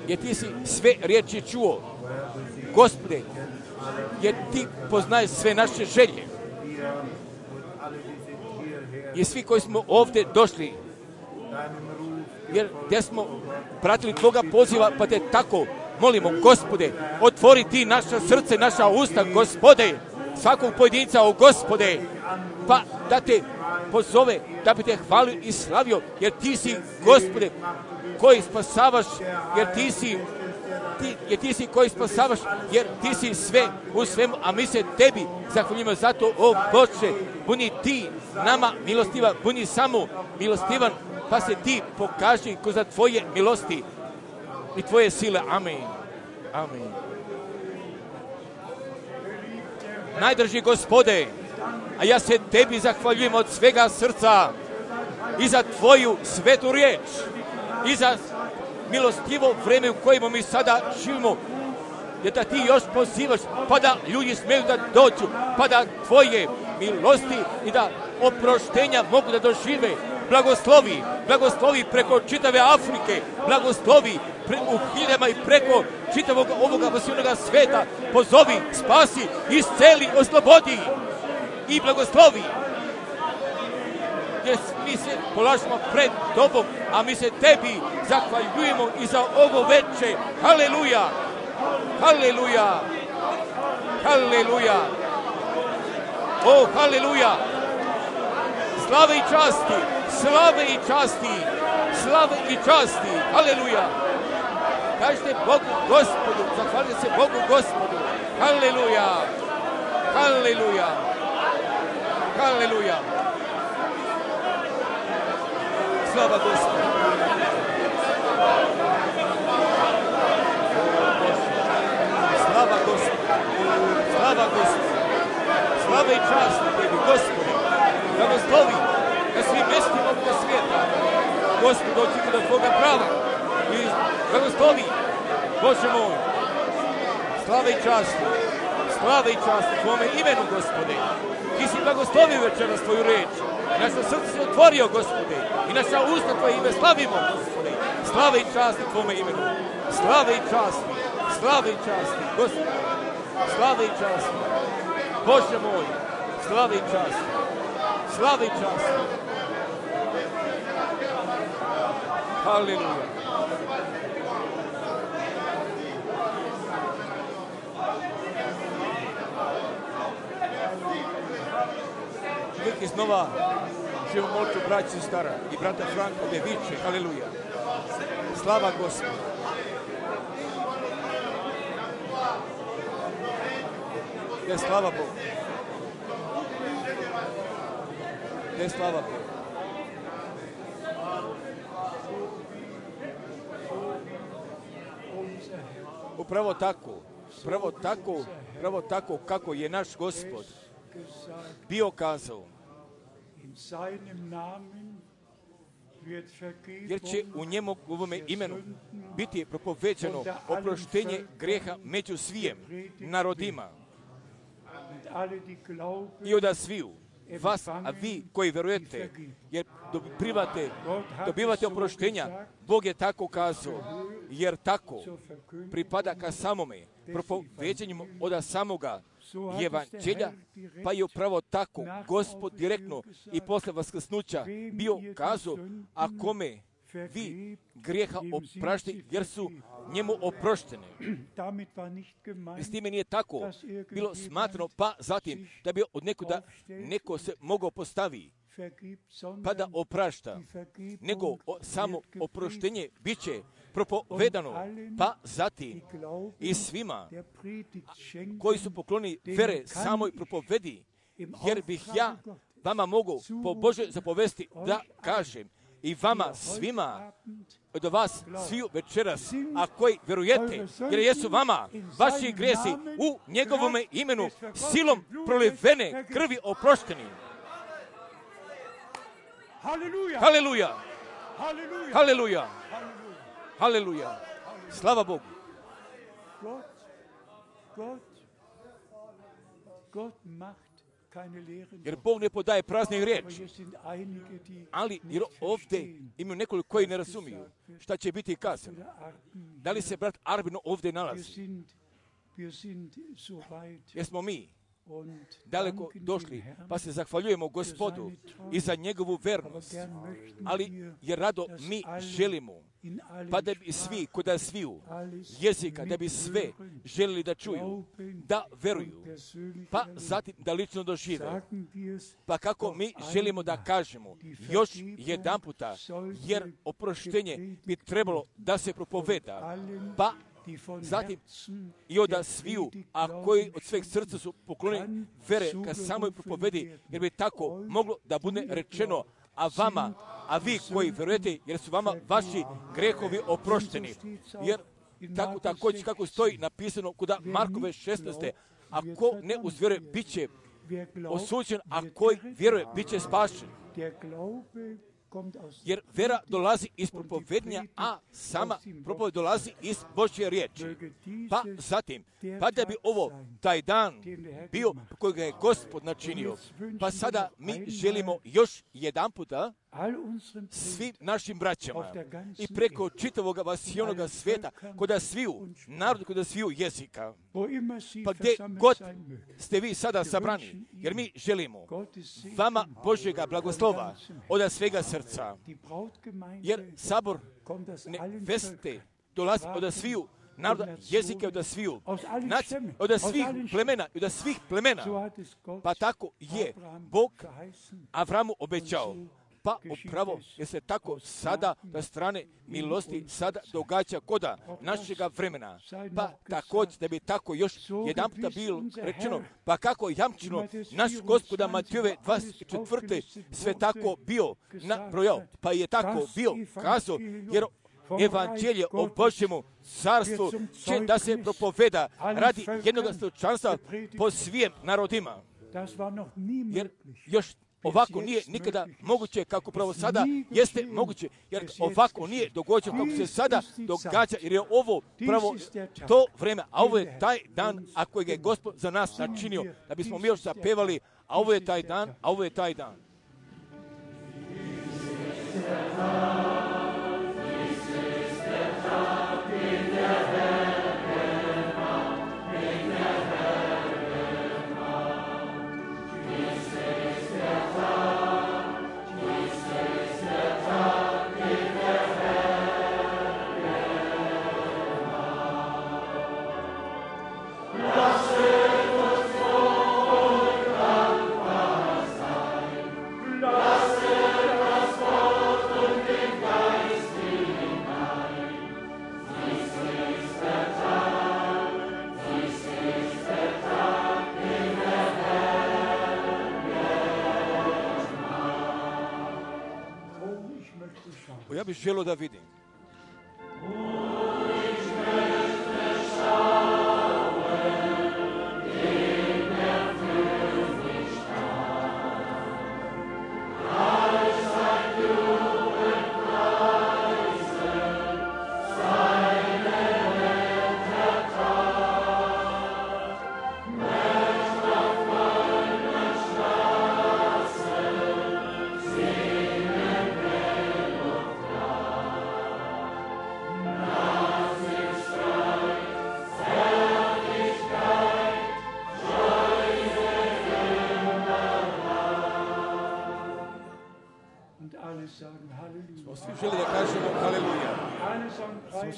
jer ti si sve riječi čuo, Gospode, jer ti poznaješ sve naše želje. I svi koji smo ovdje došli, jer gdje smo pratili Tvoga poziva, pa te tako molimo, Gospode, otvori ti naša srce, naša usta, Gospode, svakog pojedinca, o Gospode, pa da te pozove, da bi te hvalio i slavio, jer ti si, Gospode, koji spasavaš, jer ti si koji spasavaš, jer ti si sve u svemu, a mi se tebi zahvaljujemo zato, o Bože, budi ti nama milostiva, budi samo milostivan, pa se ti pokaži kroz tvoje milosti i tvoje sile. Amen. Amen. Najdrži Gospode, a ja se tebi zahvaljujem od svega srca i za tvoju svetu riječ i za milostivo vreme u kojemu mi sada živimo, jer da ti još pozivaš, pa da ljudi smiju da dođu, pa da tvoje milosti i da oproštenja mogu da dožive. Blagoslovi preko čitave Afrike, blagoslovi u hiljama i preko čitavog ovoga vasijonoga sveta, pozovi, spasi, isceli, oslobodi i blagoslovi. Jer mi se polažemo pred Tobom, a mi se tebi zahvaljujemo i za ovo veče. Haleluja! Haleluja! Haleluja! O, haleluja! Slave i časti! Slave i časti! Slave i časti! Haleluja! Kažete Bogu Gospodu, zahvalite se Bogu Gospodu. Haleluja! Haleluja! Haleluja! Slava Gospodu! Slava Gospodu! Slava Gospodu! Slava i čast tebi, Gospode! Blagoslovi na svim mjestima ovoga svijeta. Gospod, očekuje do tvoga prava. I blagoslovi, Bože moj. Slava i čast! Slava i čast tvome imenu, Gospode! Ti si blagoslovio večeras tvoju reč. I naša srce se otvorio, Gospode. I naša usta tvoje ime slavimo, Gospode. Slava i čast tvome imenu. Slava i čast. Slava i čast, Gospode. Slava i čast. Bože moj. Slava i čast. Slava i čast. Haleluja. Uvijek iznova živimo molču braći stara i brata Franka gdje viče, haleluja. Slava Gospodu. Je slava Bogu. Je slava Bogu. Upravo tako kako je naš Gospod bio kazao, jer će u njemu ovome imenu biti propoveđeno oproštenje greha među svijem narodima i od sviju vas, a vi koji verujete, jer dobivate oproštenja, Bog je tako kazao, jer tako pripada ka samome propoveđenju od samoga evanđelja, pa je upravo tako Gospod direktno i posle vaskrsnuća bio kazao, a kome vi grijeha oprašti, jer su njemu oproštene. S time nije tako bilo smatrano, pa zatim da bi od nekuda neko se mogao postavi, pa da oprašta, nego samo oproštenje bit će propovedano, pa zatim i svima koji su pokloni vere samoj propovedi, jer bih ja vama mogu po Božoj zapovesti da kažem i vama svima od vas sviju večeras, a koji verujete, jer jesu vama vaši grijesi u njegovome imenu silom prolivene krvi oprošteni. Haleluja! Haleluja! Haleluja! Slava Bogu! Jer Bog ne podaje prazne riječi, ali jer ovdje imaju nekoliko koji ne razumiju šta će biti kazano. Da li se brat Arbino ovdje nalazi? Jesmo mi daleko došli, pa se zahvaljujemo Gospodu i za njegovu vernost, ali jer rado mi želimo, pa da bi svi, koda sviju jezika, da bi sve želili da čuju, da veruju, pa zatim da lično dožive. Pa kako mi želimo da kažemo još jedan puta, jer oproštenje bi trebalo da se propoveda, pa zatim i od sviju, a koji od sveg srca su poklonjeni vere ka samoj propovedi, jer bi tako moglo da bude rečeno, a vama, a vi koji verujete, jer su vama vaši grehovi oprošteni. Jer tako također kako stoji napisano kod Markove 16. A ko ne uzvjeruje, bit će osuđen, a koji vjeruje, bit će spašen. Jer vera dolazi iz propovednja, a sama propoved dolazi iz Božje riječi. Pa zatim, pa da bi ovo, taj dan bio kojeg je Gospod načinio, pa sada mi želimo još jedan puta svim našim braćama i preko čitavog vasijonoga svijeta, koda sviju narod, koda sviju jezika, pa gdje god ste vi sada sabrani, jer mi želimo vama Božjega blagoslova od svega srca, jer sabor neveste dolazi od sviju naroda, jezike od sviju, od svih plemena, od svih plemena, pa tako je Bog Avramu obećao. Pa upravo je se tako sada na strane milosti sada događa koda našega vremena. Pa također da bi tako još jedan puta bilo rečeno, pa kako jamčino naš Gospoda Matijove 24. sve tako bio nabrojao, pa je tako bio kazao, jer evanđelje o Božjemu carstvu će da se propoveda radi jednog slučanstva po svijem narodima. Jer još ovako nije nikada moguće kako pravo sada jeste moguće, jer ovako nije događano kako se sada događa, jer je ovo pravo to vreme, a ovo je taj dan, a kojeg je Gospod za nas načinio, da bismo mi još zapevali, a ovo je taj dan, a ovo je taj dan. Ja bih želio da vidim.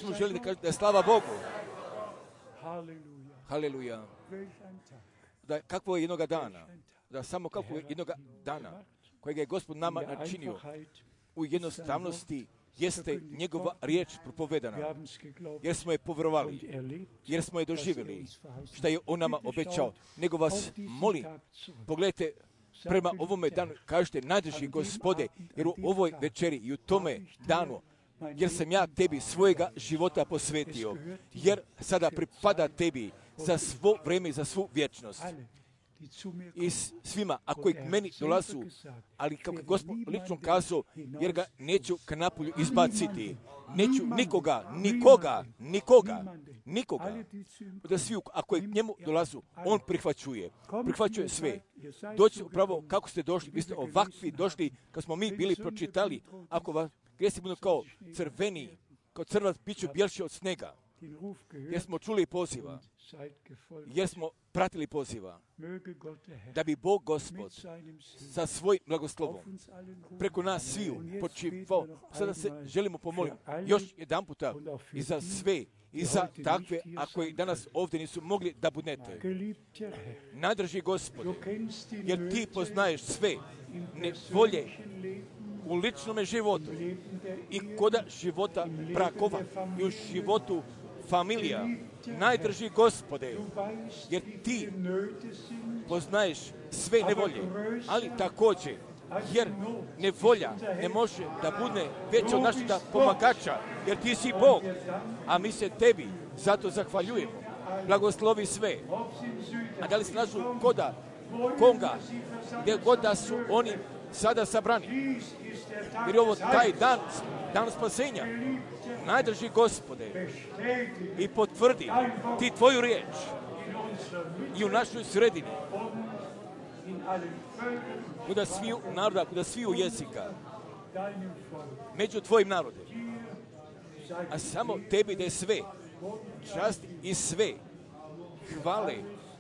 smo želi da kažem da je slava Bogu. Haleluja. Da kakvo je jednoga dana, da samo kako je jednoga dana, kojega je Gospod nama načinio u jednostavnosti, jeste njegova riječ propovedana, jer smo je povjerovali, jer smo je doživjeli, šta je on nama obećao. Nego vas molim, pogledajte prema ovome danu, kažete najdrži Gospode, jer u ovoj večeri i u tome danu, jer sam ja tebi svojega života posvetio, jer sada pripada tebi za svo vrijeme i za svu vječnost. I svima, ako k meni dolazu, ali kako je Gospod lično kazao, jer ga neću k napolju izbaciti. Neću nikoga. Da svi, ako je k njemu dolazu, on prihvaćuje sve. Doći upravo kako ste došli, vi ste ovakvi došli, kad smo mi bili pročitali, ako vas grijesi budu kao crveni, kao crvac bit ću bjelši od snega, jer smo čuli poziva, jer smo pratili poziva, da bi Bog Gospod sa svojim blagoslovom preko nas sviju počivao. Sada se želimo pomoliti još jedan puta i za sve, i za takve, ako i danas ovdje nisu mogli da budete. Najdrži Gospode, jer ti poznaješ sve nevolje u ličnome životu i koda života brakova i u životu familija. Najdrži Gospode, jer ti poznaješ sve nevolje, ali također, jer nevolja ne može da bude veća od našega pomagača, jer ti si Bog, a mi se tebi zato zahvaljujemo. Blagoslovi sve. A da li se nađu Konga, gdje god da su oni sada sabrani, jer je ovo taj dan spasenja. Najdrži Gospode i potvrdi ti tvoju riječ i u našoj sredini, kuda sviju naroda, kuda sviju jezika, među tvojim narodem. A samo tebi da je sve, čast i sve, hvale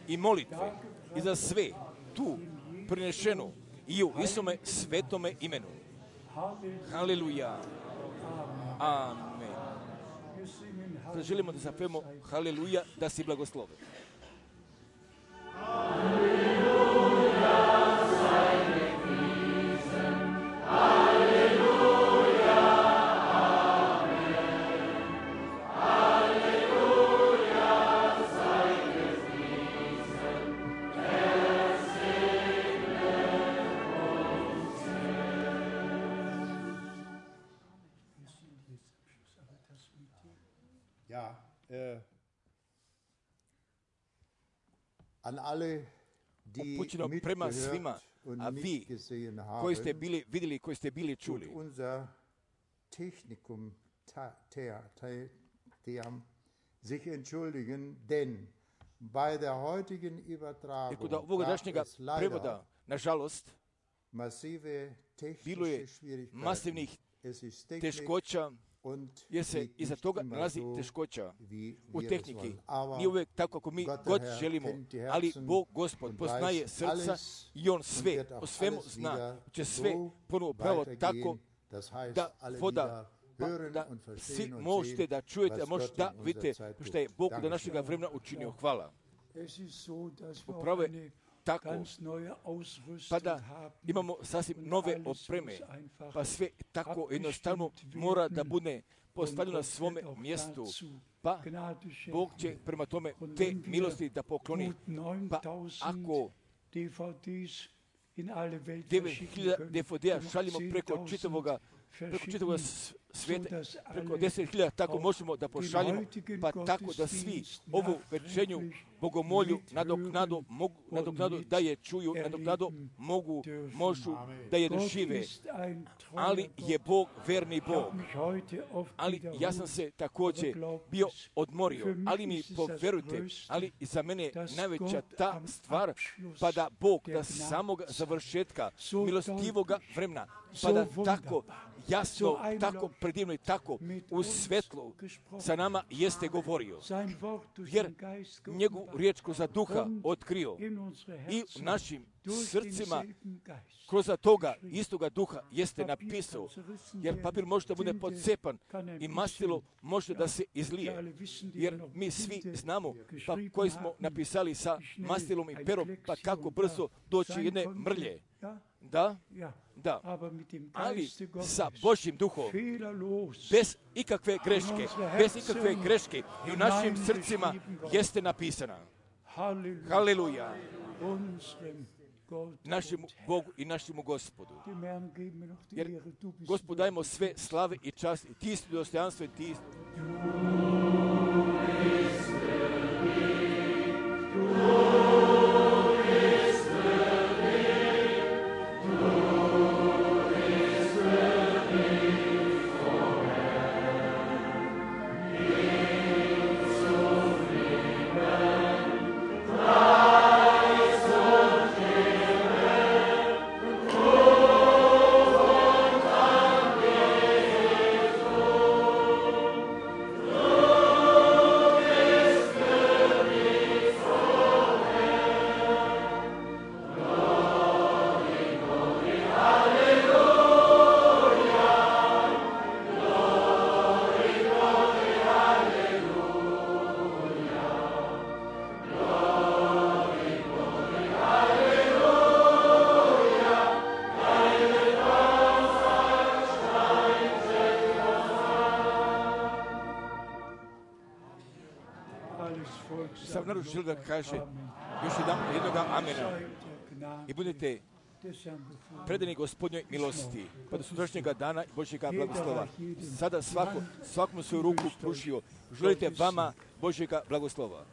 i molitve i za sve tu prinešeno i u Isome svetome imenu. Haleluja. Amen. Sada želimo da zapevamo haleluja, da si blagosloven. An alle, die upućeno prema svima, a vi koji ste bili vidjeli, koji ste bili čuli. Unser Technikum sich entschuldigen, denn bei der heutigen Übertragung gab es prevoda, nažalost, bilo je masivnih teškoća, jer se iza toga nalazi teškoća u tehniki. Nije uvijek tako kako mi god želimo, ali Bog Gospod poznaje srca i On sve, o svemu zna, će sve ponovo pravo tako da voda, da svi možete da čujete, možete da vidite što je Bog do našega vremena učinio. Hvala. Upravo je tako, pa da imamo sasvim nove opreme, pa sve tako jednostavno mora da bude postavljeno na svome mjestu, pa Bog će prema tome te milosti da pokloni. Pa ako 9.000 DVD-a šaljimo preko čitavoga svijeta, preko 10.000, tako možemo da pošaljimo, pa tako da svi ovu večernju bogomolju nadoknadu da je čuju, nadoknadu možu da je dožive. Ali je Bog verni Bog. Ali ja sam se također bio odmorio, ali mi poverujte, ali za mene najveća ta stvar, pa da Bog da samog završetka milostivoga vremena, pa da tako jasno, tako predivno i tako u svetlu sa nama jeste govorio. Jer njegovu riječ kroz duha otkrio i u našim srcima kroz toga istoga duha jeste napisao. Jer papir može da bude podcepan i mastilo može da se izlije. Jer mi svi znamo pa koji smo napisali sa mastilom i perom, pa kako brzo doći jedne mrlje. Da, ali sa Božjim duhom, bez ikakve greške i u našim srcima jeste napisana. Haleluja! Našemu Bogu i našemu Gospodu. Jer Gospodu dajemo sve slave i čast i ti isti dostojanstvo i ti sam naručio da kaže još jednoga amena i budete predani Gospodnjoj milosti, pa do sutrašnjega dana i Božjega blagoslova. Sada svakom svoju ruku pružio. Želite vama Božjega blagoslova.